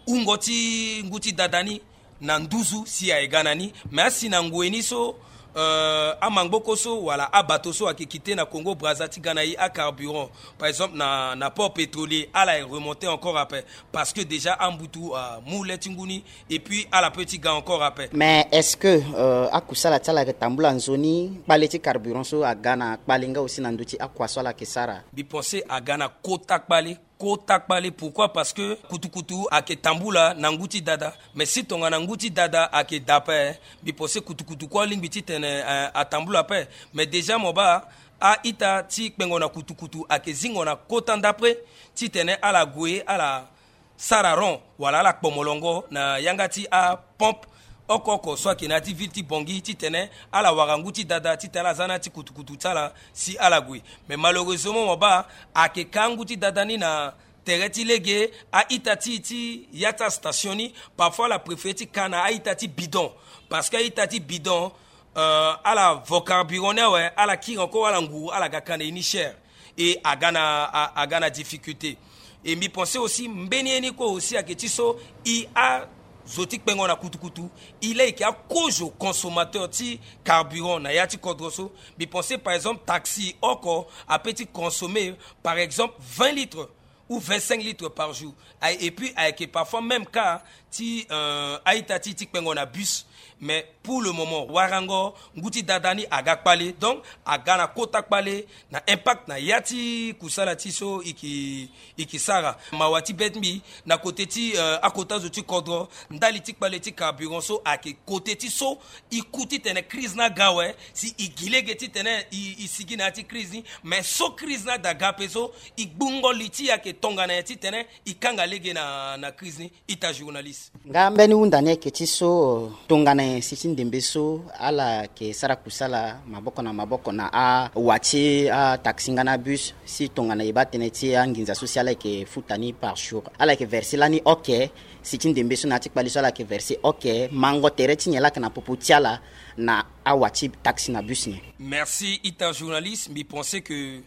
wungo ti ngu ti dada ni na nduzu si aye ga na ni. Mais asi na ngoi ni so, euh, amangboko so wala abato so ayeke kite na Congo Brazza ti ga na e acarburant, par exemple na, na port pétrolier, ala ye remonter encore ape parce que déjà ambutu amu le ti ngu ni. Et puis ala peut ti ga encore ape. Mais est-ce que, euh, akusala ti ala ayeke tambula nzoni? Kpale ti carburant so aga na kpale nga aussi na ndö ti akua so ala yeke sara? Mbi pense aga na kota kpale. Kota kpale. Pourquoi? Parce que kutukutu ayeke tambula na ngu ti dada. Mais si tongana ngu ti dada ayeke daa ape, mbi pense kutukutu kue alingbi titene, eh, atambula ape. Mais déjà mo baa a-ita ti kpengo na kutukutu ayeke zingo na kota ndapre titene ala gue ala sara rond wala ala kpo molongo na yanga ti apompe oko oko so ayeke na ya ti ville ti Bangui titene ala wara ngu ti dada titene ala za na ya ti kutukutu ti ala si ala gue. Mais malheureusement mo baa ayeke ka ngu ti dada ni na tere ti lege a-ita ti e ti ya ti astation ni. Parfois ala préféré ti ka na a-ita ti bidon parce que a-ita ti bidon, euh, ala vo carburant ni awe, ala kiri encore ala nguru ala ga ka na e ni cher. Et aga na, a, aga na difficulté. Et mbi pense aussi mbeni ye ni kue aussi ayeke ti so e azo ti kpengo na kutukutu, e laa e yeke akozo consommateur ti carburant na ya ti kodro so. Mbi pense par exemple taxi oko apeut ti consommer par exemple vingt litres ou vingt-cinq litres par jour. Aye, et puis ayeke parfois même cas ti, euh, a-ita ti e ti kpengo na bus. Mais pour le moment warango ngu ti dada ni aga kpale, donc aga na kota kpale na impact na ya ti kusala ti e so e yeke, e yeke sara. Mawa ti be ti mbi na kote ti, euh, akota zo ti kodro, ndali ti kpale ti carburant so ayeke kote ti so e ku titene crise ni aga awe si e gi lege titene e, e sigi na ya ti crise ni. Mais so crise ni ada ga ape so e gbungo li ti e ayeke tongana nyen titene e kanga lege na, na crise ni. Ita journaliste. Nga mbeni hunda ni ayeke ti so, tongana nyen si ti ndembe so ala yeke sara kusala maboko na maboko na awa ti ataxi nga na abus, si tongana e baa tënë ti anginza so si ala yeke futa ni par jour, ala yeke verser lani oke? Si ti ndembe so na ya ti kpale so ala yeke verser oke? Mango tere ti nyen laa ayeke na popo ti ala na awa ti taxi na bus nyen? Merci ita journaliste. Mbi pense que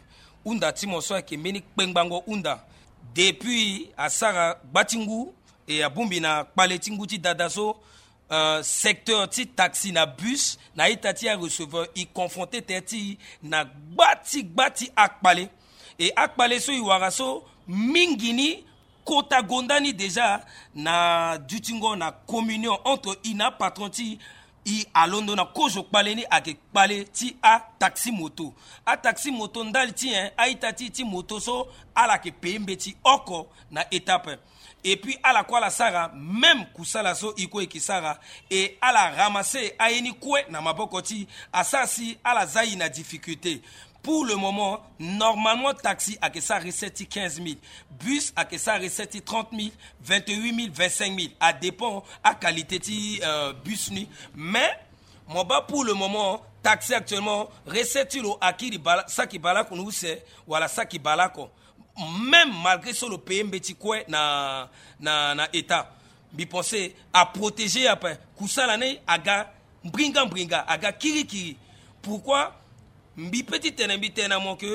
hunda ti mo so ayeke mbeni kpengbango hunda. Depuis asara gba ti ngu e abongbi na kpale ti ngu ti dada so, euh, secteur ti taxi na bus na ita ti areceveur e confronté tënë ti e na gba ti gba ti akpale. E akpale so e wara so mingi ni kota gonda ni déjà na dutingo na communion entre e na apatron ti e. E alondo na kozo kpale ni ayeke kpale ti ataxi moto. Ataxi moto ndali ti nyen? A-ita ti e ti moto so ala yeke paye mbeti oko na étape. Et puis ala kue ala sara même kusala so e kue e yeke sara. E ala ramasser aye ni kue na maboko ti e, asara si ala za e na difficulté. Pour le moment, normalement taxi ayeke sara recette ti quinze mille, bus ayeke sara recette ti trente mille, vingt-huit mille, vingt-cinq mille, a dépend a qualité ti, euh, bus ni. Mais mo baa pour le moment taxi actuellement recette ti lo akiri bala, saki baleoko na use wala saki baleoko. Même malgré so lo paye mbeti kue na, na, na état, mbi pensé aprotéger ape. Kusala ni aga mbringa mbringa, aga kirikiri. Pourquoi? Mbi pe ti tene mbi tene na mo ke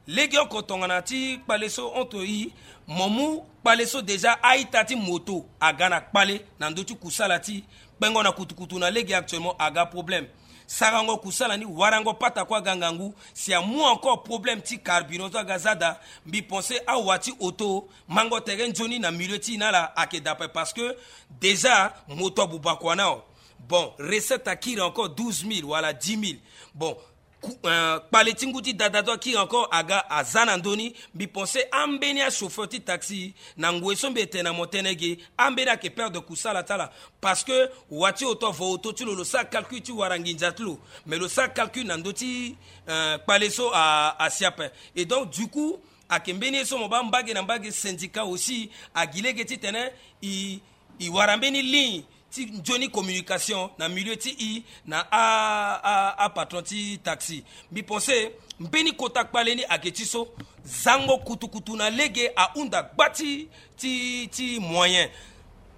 legeoko tongana ti kpale so entre e, mo mu kpale so déjà a-ita ti moto aga na kpale na ndö ti kusala ti e. Kpengo na kutukutu na lege actuellement aga problème. Sarango kusala ni, warango pata kue aga ngangu. Si amu encore problème ti carburant so aga za daa, mbi pensé awa ti auto mango tere nzoni na milieu ti e na ala ayeke daa ape, parce que déjà moto abuba kua nao. Bon, recette akiri encore douze mille wala dix mille. Bon, ku-, euh, kpale ti ngu ti dada so akiri encore aga aza na ndö ni. Mbi pensé ambeni achauffeur ti taxi na ngoi so mbi tene na mo tënë ge, ambeni ayeke perdre kusala ti ala. Parce que wa ti auto avo auto ti lo, lo sara calcul ti wara nginza ti lo. Mais lo sara calcul na ndö ti, euh, kpale so a, asi ape. Et donc du coup ayeke mbeni ye so mo baa mbage na mbage syndicat aussi agi lege titene e, e wara mbeni ligne ti nzoni communication na milieu ti e na a, a, apatron ti taxi. Mbi pensé mbeni kota kpale ni ayeke ti so. Zango kutukutu na lege ahunda gba ti, ti, ti moyen.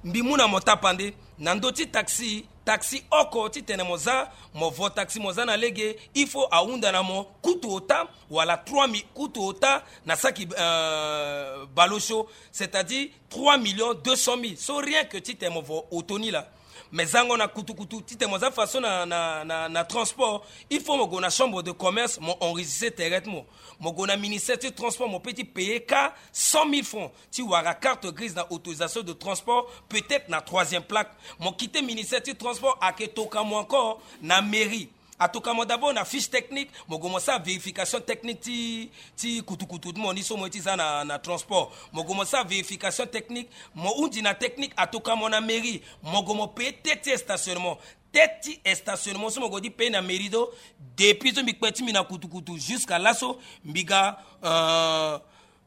Mbi mu na mo tapande na ndö ti taxi, taxi oko titene mo za, mo vo taxi mo za na lege, il faut ahunda na mo kutu ota wala trois mille, kutu ota na saki, euh, baleosio, c'est-à-dire trois millions deux cent mille. So rien que titene mo vo auto ni laa. Mais zango na kutukutu titene mo za façon na, na, na, na transport, il faut mo gue na chambre de commerce, mo enregistrer tere ti mo. Mo gue na ministère ti transport, mo pe ti payer kâ cent mille francs ti wara carte grise na autorisation de transport, peut-être na troisième plaque. Mo quitter ministère ti transport, ayeke toka mo encore na mairie. Atoka mo d'abord na fiche technique, mo gue mo sara vérification technique ti, ti kutukutu ti mo ni so mo ye ti za na, na transport. Mo gue mo sara vérification technique, mo hundi na technique, atoka mo na mairie, mo gue mo payer tête ti stationnement. Tête ti stationnement so mo gue ti payer na mairie so, depuis so mbi kpe ti mbi na kutukutu jusqu'à laso mbi ga, euh,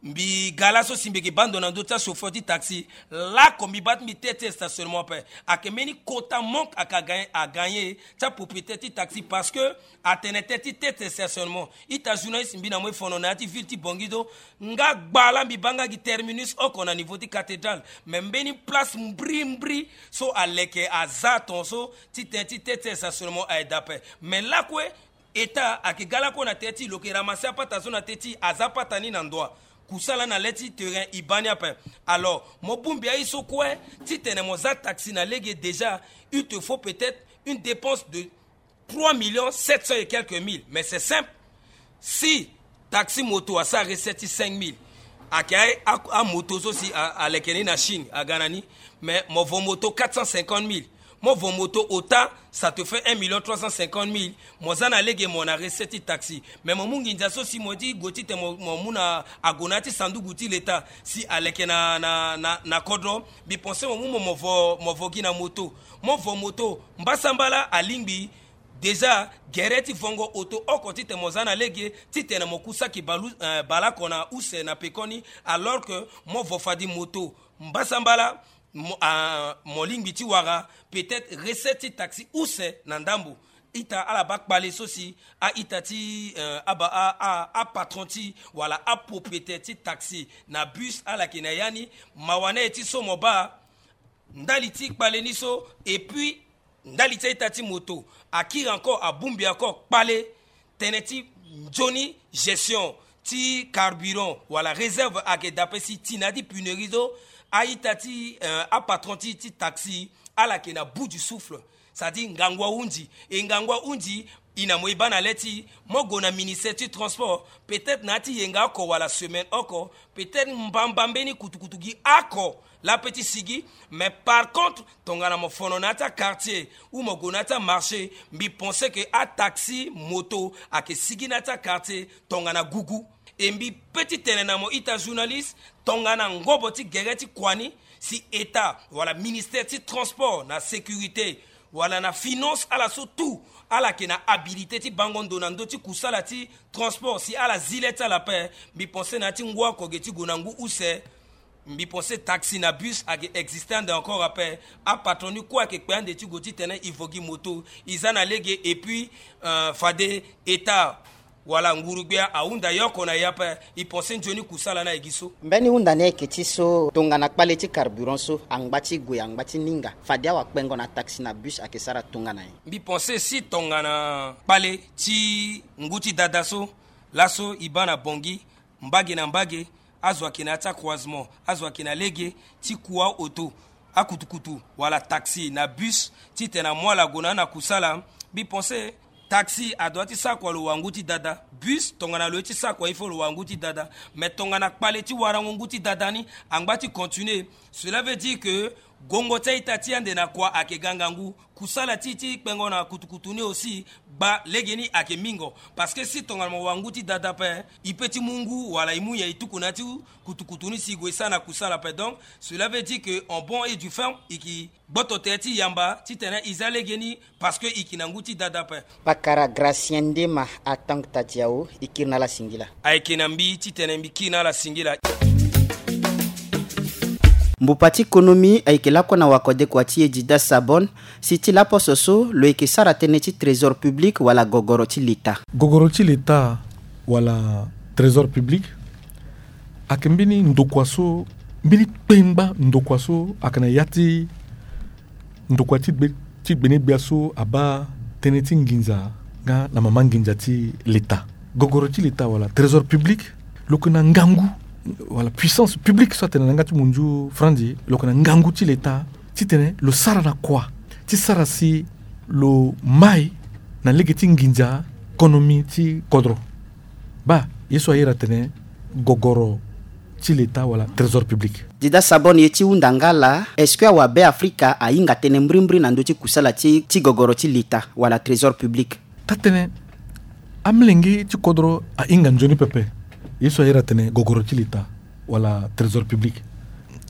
mbi ga laso si mbi yeke baa ndo na ndö ti achauffeur ti taxi. Laoko mbi baa ti mbi tête ti stationnement ape. Ayeke mbeni kota manque ayeke agagné, agagné ti apropriétaire ti taxi, parce que atene tête ti tête ti stationnement. Ita journaliste, mbi na mo e fono na ya ti ville ti Bongi so, nga gba laa mbi baa nga gi terminus oko na niveau ti cathédrale. Mais mbeni place mbri mbri so aleke aza tongaso ti tene ti tête ti stationnement aye daa ape. Mais lakue état ayeke ga lakue na tënë ti e, lo yeke ramasser apata so na tënë ti e, aza apata ni na ndoa. Kusala na le ti terrain e baa ni ape. Alors mo bongbi aye so kue titene mo za taxi na lege, déjà il te faut peut-être une dépense de trois millions sept cents et quelques mille. Mais c'est simple. Si taxi moto asara recette ti cinq mille, ayeke a, a, amoto so si a, aleke ni na Chine aga na ni. Mais mo vo moto quatre cent cinquante mille, mo vo moto ota, ça te fait un million trois cent cinquante mille. Mo za na lege mo na recette ti taxi. Mais mo mu nginza so si mo ye ti gue titene mo, mo mu na ague na ya ti sanduku ti leta si aleke na, na, na, na kodro. Mbi pensé mo mu mo, mo vo, mo vo gi na moto. Mo vo moto, mbasambala alingbi déjà gere ti vongo auto oko titene mo za na lege titene mo ku saki balu, eh, baleoko na use na pekoni, alors que mo vo fadi moto mbasambala, mo, ah, mo lingbi ti wara peut-être recette ti taxi use na ndambo. Ita ala baa kpale so si a-ita ti, eh, aba, a, a, apatron ti wala apropriétaire ti taxi na bus ala yeke na ya ni. Mawa na ye ti so mo baa ndali ti kpale ni so. Et puis ndali ti a-ita ti moto akiri encore, abongbi encore kpale tënë ti nzoni gestion ti carburant wala réserve ayeke daa ape si ti na ya ti punerie so, a-ita ti, euh, apatron ti, ti taxi, ala yeke na bout du souffle. C'est-à-dire ngangu ahunzi. E ngangu ahunzi, e na mo e baa na le ti mo gue na ministère ti transport, peut-être na ya ti yenga oko wala semaine oko, peut-être mbamba mbeni kutukutu gi oko laa ape ti sigi. Mais par contre, tongana mo fono na ya ti quartier ou mo gue na ya ti marché, mbi pense que ataxi moto ayeke sigi na ya ti quartier tongana gugu. E mbi pe ti tene na mo ita journaliste, tongana ngobo ti gere ti kua ni, si État wala ministère ti transport na sécurité wala na finance, ala so tout, ala yeke na habilité ti bango ndo na ndö ti kusala ti transport, si ala zi le ti ala ape, mbi pense na ya ti ngu oko ge ti gue na ngu use, mbi pense taxi na bus ayeke existe ande encore ape. Apatron ni kue ayeke kpe ande ti gue ti tene e vo gi moto, e za na lege. Et puis, euh, fade État wala nguru-gbia ahunda ye oko na ye ape. E pense nzoni kusala ni aye gi so. Mbeni hunda ni ayeke ti so, tongana kpale ti carburant so angba ti gue, angba ti ninga, fade awakpengo na taxi na bus ayeke sara tongana nyen? Mbi pense si tongana kpale ti ngu ti dada so, laso e baa na Bangui, mbage na mbage, azo ayeke na ya ti acroisement, azo ayeke na lege ti kua auto, akutukutu wala taxi na bus, titene amu ala gue na ni na kusala. Mbi pense taxi adoit ti sara kua lo wa ngu ti dada, bus tongana lo ye ti sara kua il faut lo wa ngu ti dada. Mais tongana kpale ti warango ngu ti dada ni angba ti continuer, cela veut dire que gongo ti a-ita ti ande na kua ayeke ga ngangu. Kusala ti, ti kpengo na kutukutu ni aussi, gba legeni ayeke mingo. Parce que si tongana mo wa ngu ti dada ape, e pe ti mu ngu wala e mu nyen e tuku na ya ti kutukutu ni si e gue e sara na kusala ape. Donc cela veut dire que en bon et due forme, e yeke gboto tere ti yamba titene e za legeni, parce que e yeke na ngu ti dada ape. Pakara Gracien Ndema, Atang Tadiao, e kiri na ala singila. Ayeke na mbi titene mbi kiri na ala singila. Mbupa ti konomi ayeke lakue na wakodekua ti e Dida Sabon. Si ti laposo so lo yeke sara tënë ti trésor public wala gogoro ti leta. Gogoro ti leta wala trésor public ayeke mbeni ndokua so, mbeni kpengba ndokua so ayeke na ya ti ndokua ti gbe, ti gbenegbia so abaa tënë ti nginza nga na mama nginza ti leta. Gogoro ti leta wala trésor public, lo yeke na ngangu, wala puissance publique so atene na yanga ti munzu franzi, lo yeke na ngangu ti leta titene lo sara na kua ti sara si lo mai na lege ti nginza konomi ti kodro. Baa ye so a iri atene gogoro ti leta wala trésor public. Dida Sabon, ye ti hunda nga laa, est-ce que awabe Afrika ahinga tënë mbrimbri na ndö ti kusala ti, ti gogoro ti leta wala trésor public? Taa-tënë, amolenge ti kodro ahinga nzoni pepe ye so a iri atene gogoro ti leta wala trésor public.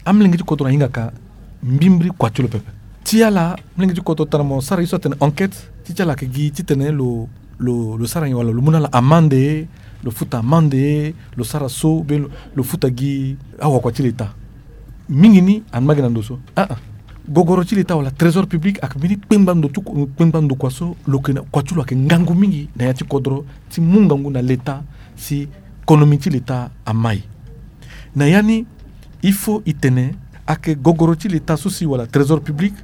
Amolenge ti kodro ahingaka mbimbri kua ti lo pepe. Ti ala, amolenge ti kodro tara mo sara ye so atene enquête, ti ti ala ayeke gi titene lo, lo, lo sara nyen wala lo mu na ala amande, lo futa amande, lo sara so, be lo, lo futa gi awakua ti leta. Mingi ni anu ma gi na ndo so. Ah, ah. Gogoro ti leta wala trésor public ayeke mbeni kpengba ndo ti ku-, kpengba ndokua so lo yeke na kua ti lo ayeke ngangu mingi na ya ti kodro ti mu ngangu na leta si konomi ti leta amai. Na ya ni, il faut e tene ayeke gogoro ti leta so si wala trésor public,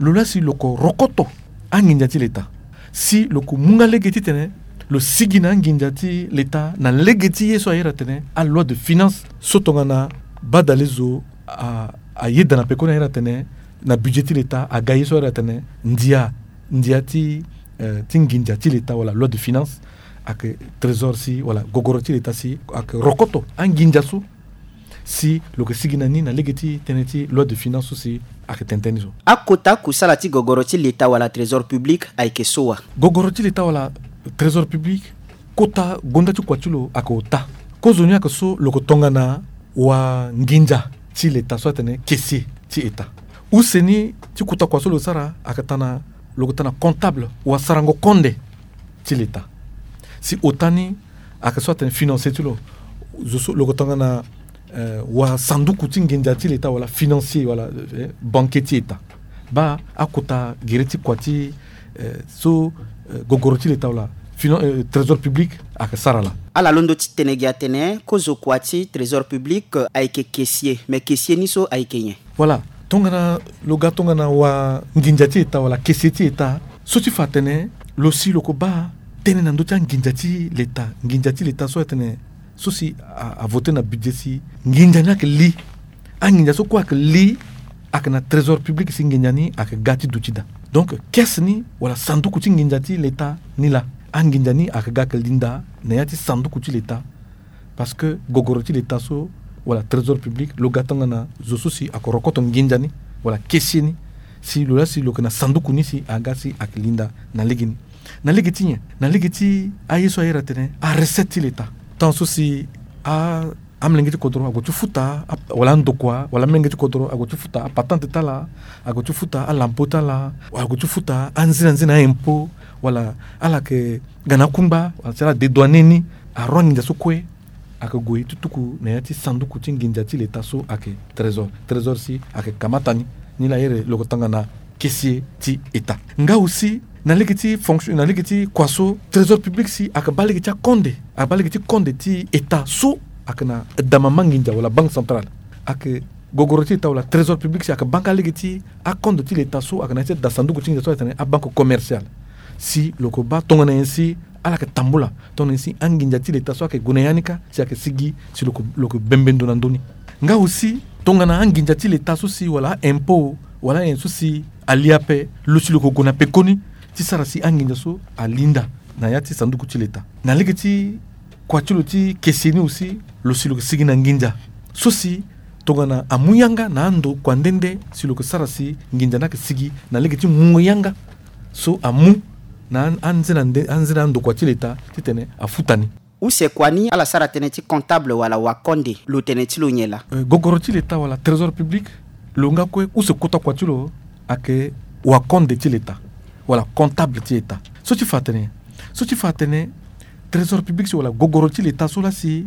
lo laa si lo yeke rokoto anginza ti leta. Si lo yeke mu nga lege titene lo sigi na anginza ti leta na lege ti ye so a iri atene aloi de finance so tongana badale zo a, ayeda na pekoni a iri atene na budget ti leta aga ye so a iri atene ndia, ndia ti, eh, ti nginza ti leta wala loi de finance. Ayeke trésor si wala gogoro ti leta si ayeke rokoto anginza so si lo yeke sigi na ni na lege ti tënë ti loi de finance so si ayeke tene tënë ni so. Akota kusala ti gogoro ti leta wala trésor public ayeke so wa? Gogoro ti leta wala trésor public, kota gonda ti kua ti lo ayeke ota. Kozoni ayeke so lo yeke tongana wanginza ti leta so atene caissier ti état. Use ni ti kota kua so lo sara ayeke tana, lo yeke tana comptable, wasarango konde ti leta. Si ota ni ayeke so atene financier ti lo, zo so lo yeke tongana, eh, wasanduku ti nginza ti leta wala financier wala, eh, banquier ti état. Baa akota gere ti kua ti, eh, so, eh, gogoro ti leta wala finan-, eh, trésor public ayeke sara laa. Ala londo ti tene gi atene kozo kua ti trésor public, eh, ayeke caissier, mais caissier ni so ayeke nyen? Voilà, tongana lo ga tongana wanginza ti état wala caissier ti état, so ti fa atene lo si lo yeke baa tënë na ndö ti anginza ti leta, nginza ti leta so atene so si a, a voté na budget si nginza ni ayeke li. Anginza so kue ayeke li, ayeke na trésor public si nginza ni ayeke ga ti duti daa. Donc caisse ni wala sanduku ti nginza ti leta ni laa, anginza ni ayeke ga ayeke li ndaa na ya ti sanduku ti leta. Parce que gogoro ti leta so wala trésor public lo ga tongana zo so si ayeke rokoto nginza ni wala caissier ni, si lo laa si lo yeke na sanduku ni si aga si ayeke li ndaa na legeni. Na lege ti nyen? Na lege ti aye so a iri atene arecette ti leta. Tant so si a, amolenge ti kodro ague ti futa a, wala andokua wala amolenge ti kodro ague ti futa apatente ti ala, ague ti futa alampo ti ala, ague ti futa anzina nzina aimpôt, wala ala yeke ga na akungba wala si ala dédouaner ni, aroi anginza so kue ayeke gue ti tuku na ya ti sanduku ti nginza ti leta so ayeke trésor. Trésor si ayeke kamata ni. Ni laa a iri lo yeke tongana caissier ti état. Nga aussi na lege ti fonction, na lege ti kua so trésor public si ayeke baa lege ti akonde, ayeke baa lege ti konde ti état so ayeke na damama nginza wala banque centrale. Ayeke gogoro ti leta wala trésor public si ayeke baa nga lege ti akonde ti leta so ayeke na ya ti da sanduku ti nginza so ayeke tene abanque commerciale. Si lo yeke baa tongana nyen si ala yeke tambula, tongana nyen si anginza ti leta so ayeke gue na ya ni kâ si ayeke sigi si lo yeke, lo yeke bembe ndo na ndö ni. Nga aussi tongana anginza ti leta so si wala aimpôt wala anyen so si ali ape, lo si lo yeke gue na pekoni ti sara si anginza so ali ndaa na ya ti sanduku ti leta. Na lege ti kua ti lo ti caissier ni aussi, lo si lo yeke sigi na nginza so si tongana amu yanga na andokua nde nde si lo yeke sara si nginza ni ayeke sigi na lege ti mungo yanga so amu na an-, anzena nde, anzena andokua ti leta titene afuta ni. Use kua ni ala sara tënë ti comptable wala wakonde, lo tene ti lo nyen laa? Eh, gogoro ti leta wala trésor public, lo nga kue use kota kua ti lo ayeke wakonde ti leta wala comptable ti leta. So ti fa atene, so ti fa atene trésor public si wala gogoro ti leta so laa si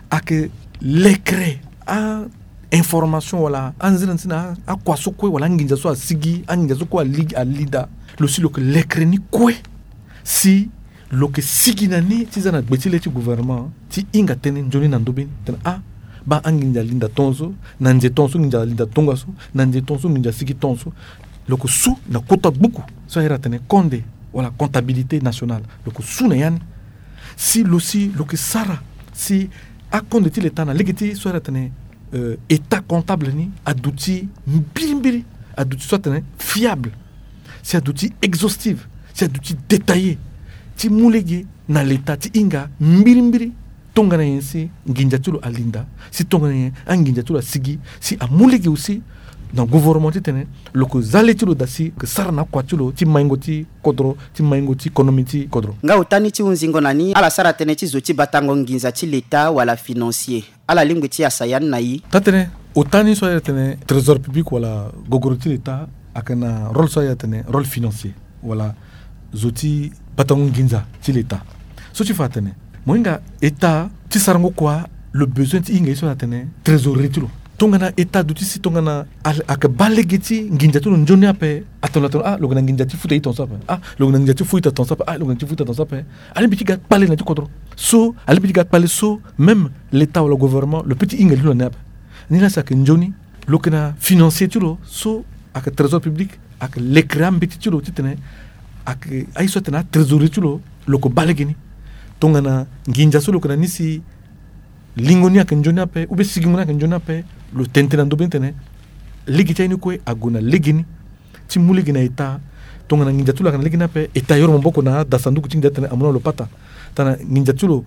ayeke lekere a information wala anzina nzina akua so kue wala anginza so asigi, anginza so kue ali, ali daa, lo si lo yeke lekere ni kue si lo yeke sigi na ni ti za na gbe ti le ti gouvernement ti hinga tënë nzoni na ndö be ni tene ah, baa anginza ali ndaa tongaso, na nze tongaso nginza ali ndaa tongaso, na nze tongaso nginza asigi tongaso. Lo yeke su na kota gbuku so a iri atene konde wala comptabilité nationale, lo yeke su na ya ni. Si lo si lo yeke sara si akonde ti leta na lege ti so a iri atene, euh, état comptable ni aduti mbirimbiri, aduti so atene fiable, si aduti exhaustive, si aduti détaillé, ti mu lege na leta ti hinga mbirimbiri tongana nyen si nginza ti lo ali ndaa, si tongana nyen anginza ti lo asigi, si amu lege aussi na gouvernement titene lo yeke za le ti lo daa si lo yeke sara na akua ti lo ti maingo ti kodro, ti maingo ti konomi ti kodro. Nga ota ni ti hunzingo na ni, ala sara tënë ti zo ti batango nginza ti leta wala financier. Ala lingbi ti yasa ya ni na i. Taa-tënë, ota ni so a iri atene trésor public wala gogoro ti leta ayeke na rôle so a iri atene rôle financier wala zo ti batango nginza ti leta. So ti fa atene mo hinga état ti sarango kua lo besoin ti hinga ye so a iri atene trésorerie ti lo. Tongana état aduti si tongana a, ayeke baa lege ti nginza ti lo nzoni ape, atene lo atene ah, lo yeke na nginza ti futa ita tongaso ape, ah, lo yeke na nginza ti futa ita tongaso ape, ah, lo yeke na nginza ti futa ita tongaso ape. Alingbi ti ga kpale na ti kodro so, alingbi ti ga kpale so même l'état wala gouvernement lo peut ti hinga li lo na ni ape. Ni laa si ayeke nzoni, lo yeke na financier ti lo so ayeke trésor public, ayeke lekere ambeti ti lo titene ayeke aye so atene atrésorerie ti lo, lo yeke baa lege ni. Tongana nginza so lo yeke na ni si lingo ni ayeke nzoni ape ou bien sigingo ni ayeke nzoni ape, lo tene tënë na ndö be ni tene lege ti aye ni kue ague na lege ni. Ti mu lege na état, tongana nginza ti lo ayeke na lege ni ape, état ayoro maboko na ada sanduku ti nginza titene amu na lo pata. Tongana nginza ti lo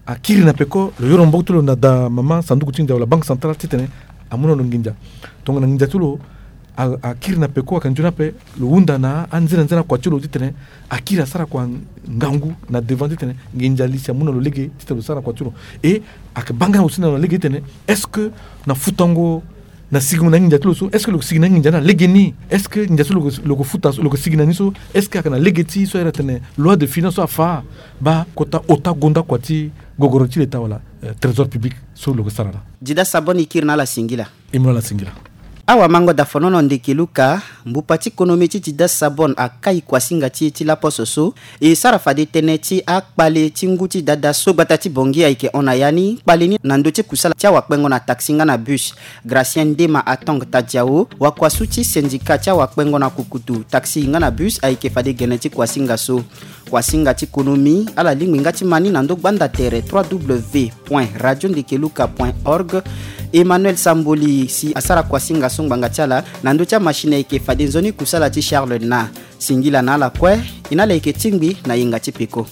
akiri na peko, lo yoro maboko ti lo na ada mama sanduku ti nginza wala banque centrale titene amu na lo nginza. Tongana nginza ti lo a, akiri na peko ayeke nzoni ape, lo hunda na anzena nzena akua ti lo titene akiri asara kua ngangu na devant titene nginza ali si amu na lo lege titene lo sara kua ti lo. Et ayeke baa nga aussi na lo na lege titene est-ce que na futango na sigingo na nginza ti lo so, est-ce que lo yeke sigi na nginza ni na lege ni? Est-ce que nginza so lo yeke, lo yeke futa so, lo yeke sigi na ni so, est-ce que ayeke na lege ti so a iri atene loi de finance so afa? Baa kota ota gonda kua ti gogoro ti leta wala, eh, trésor public so lo yeke sara laa. Dida Sabon, i kiri na ala singila. I mu na ala singila. Awa mango dafonono ndeke luka, mbupa ti konomi ti dida sabon akai kuasinga ti e ti laposo so e sara fade tënë ti akpale ti ngu ti dada so gbata ti bongi ayeke hon na ya ni kpale ni na ndö ti kusala ti awakpengo na taxi nga na bus. Gracien Ndema Atong Tadiao, wakuasu ti syndicat ti awakpengo na kukutu taxi nga na bus, ayeke fade gene ti kuasinga so. Kuasinga ti konomi ala lingbi nga ti ma ni na ndö gbanda tere trois w point radio ndekeluka point org. Emmanuel Samboli si asara kuasinga so ngbanga ti ala na ndö ti amachine ayeke fade nzoni kusala ti Charles na singila na ala kue. E na ala yeke tingbi na yenga ti peko.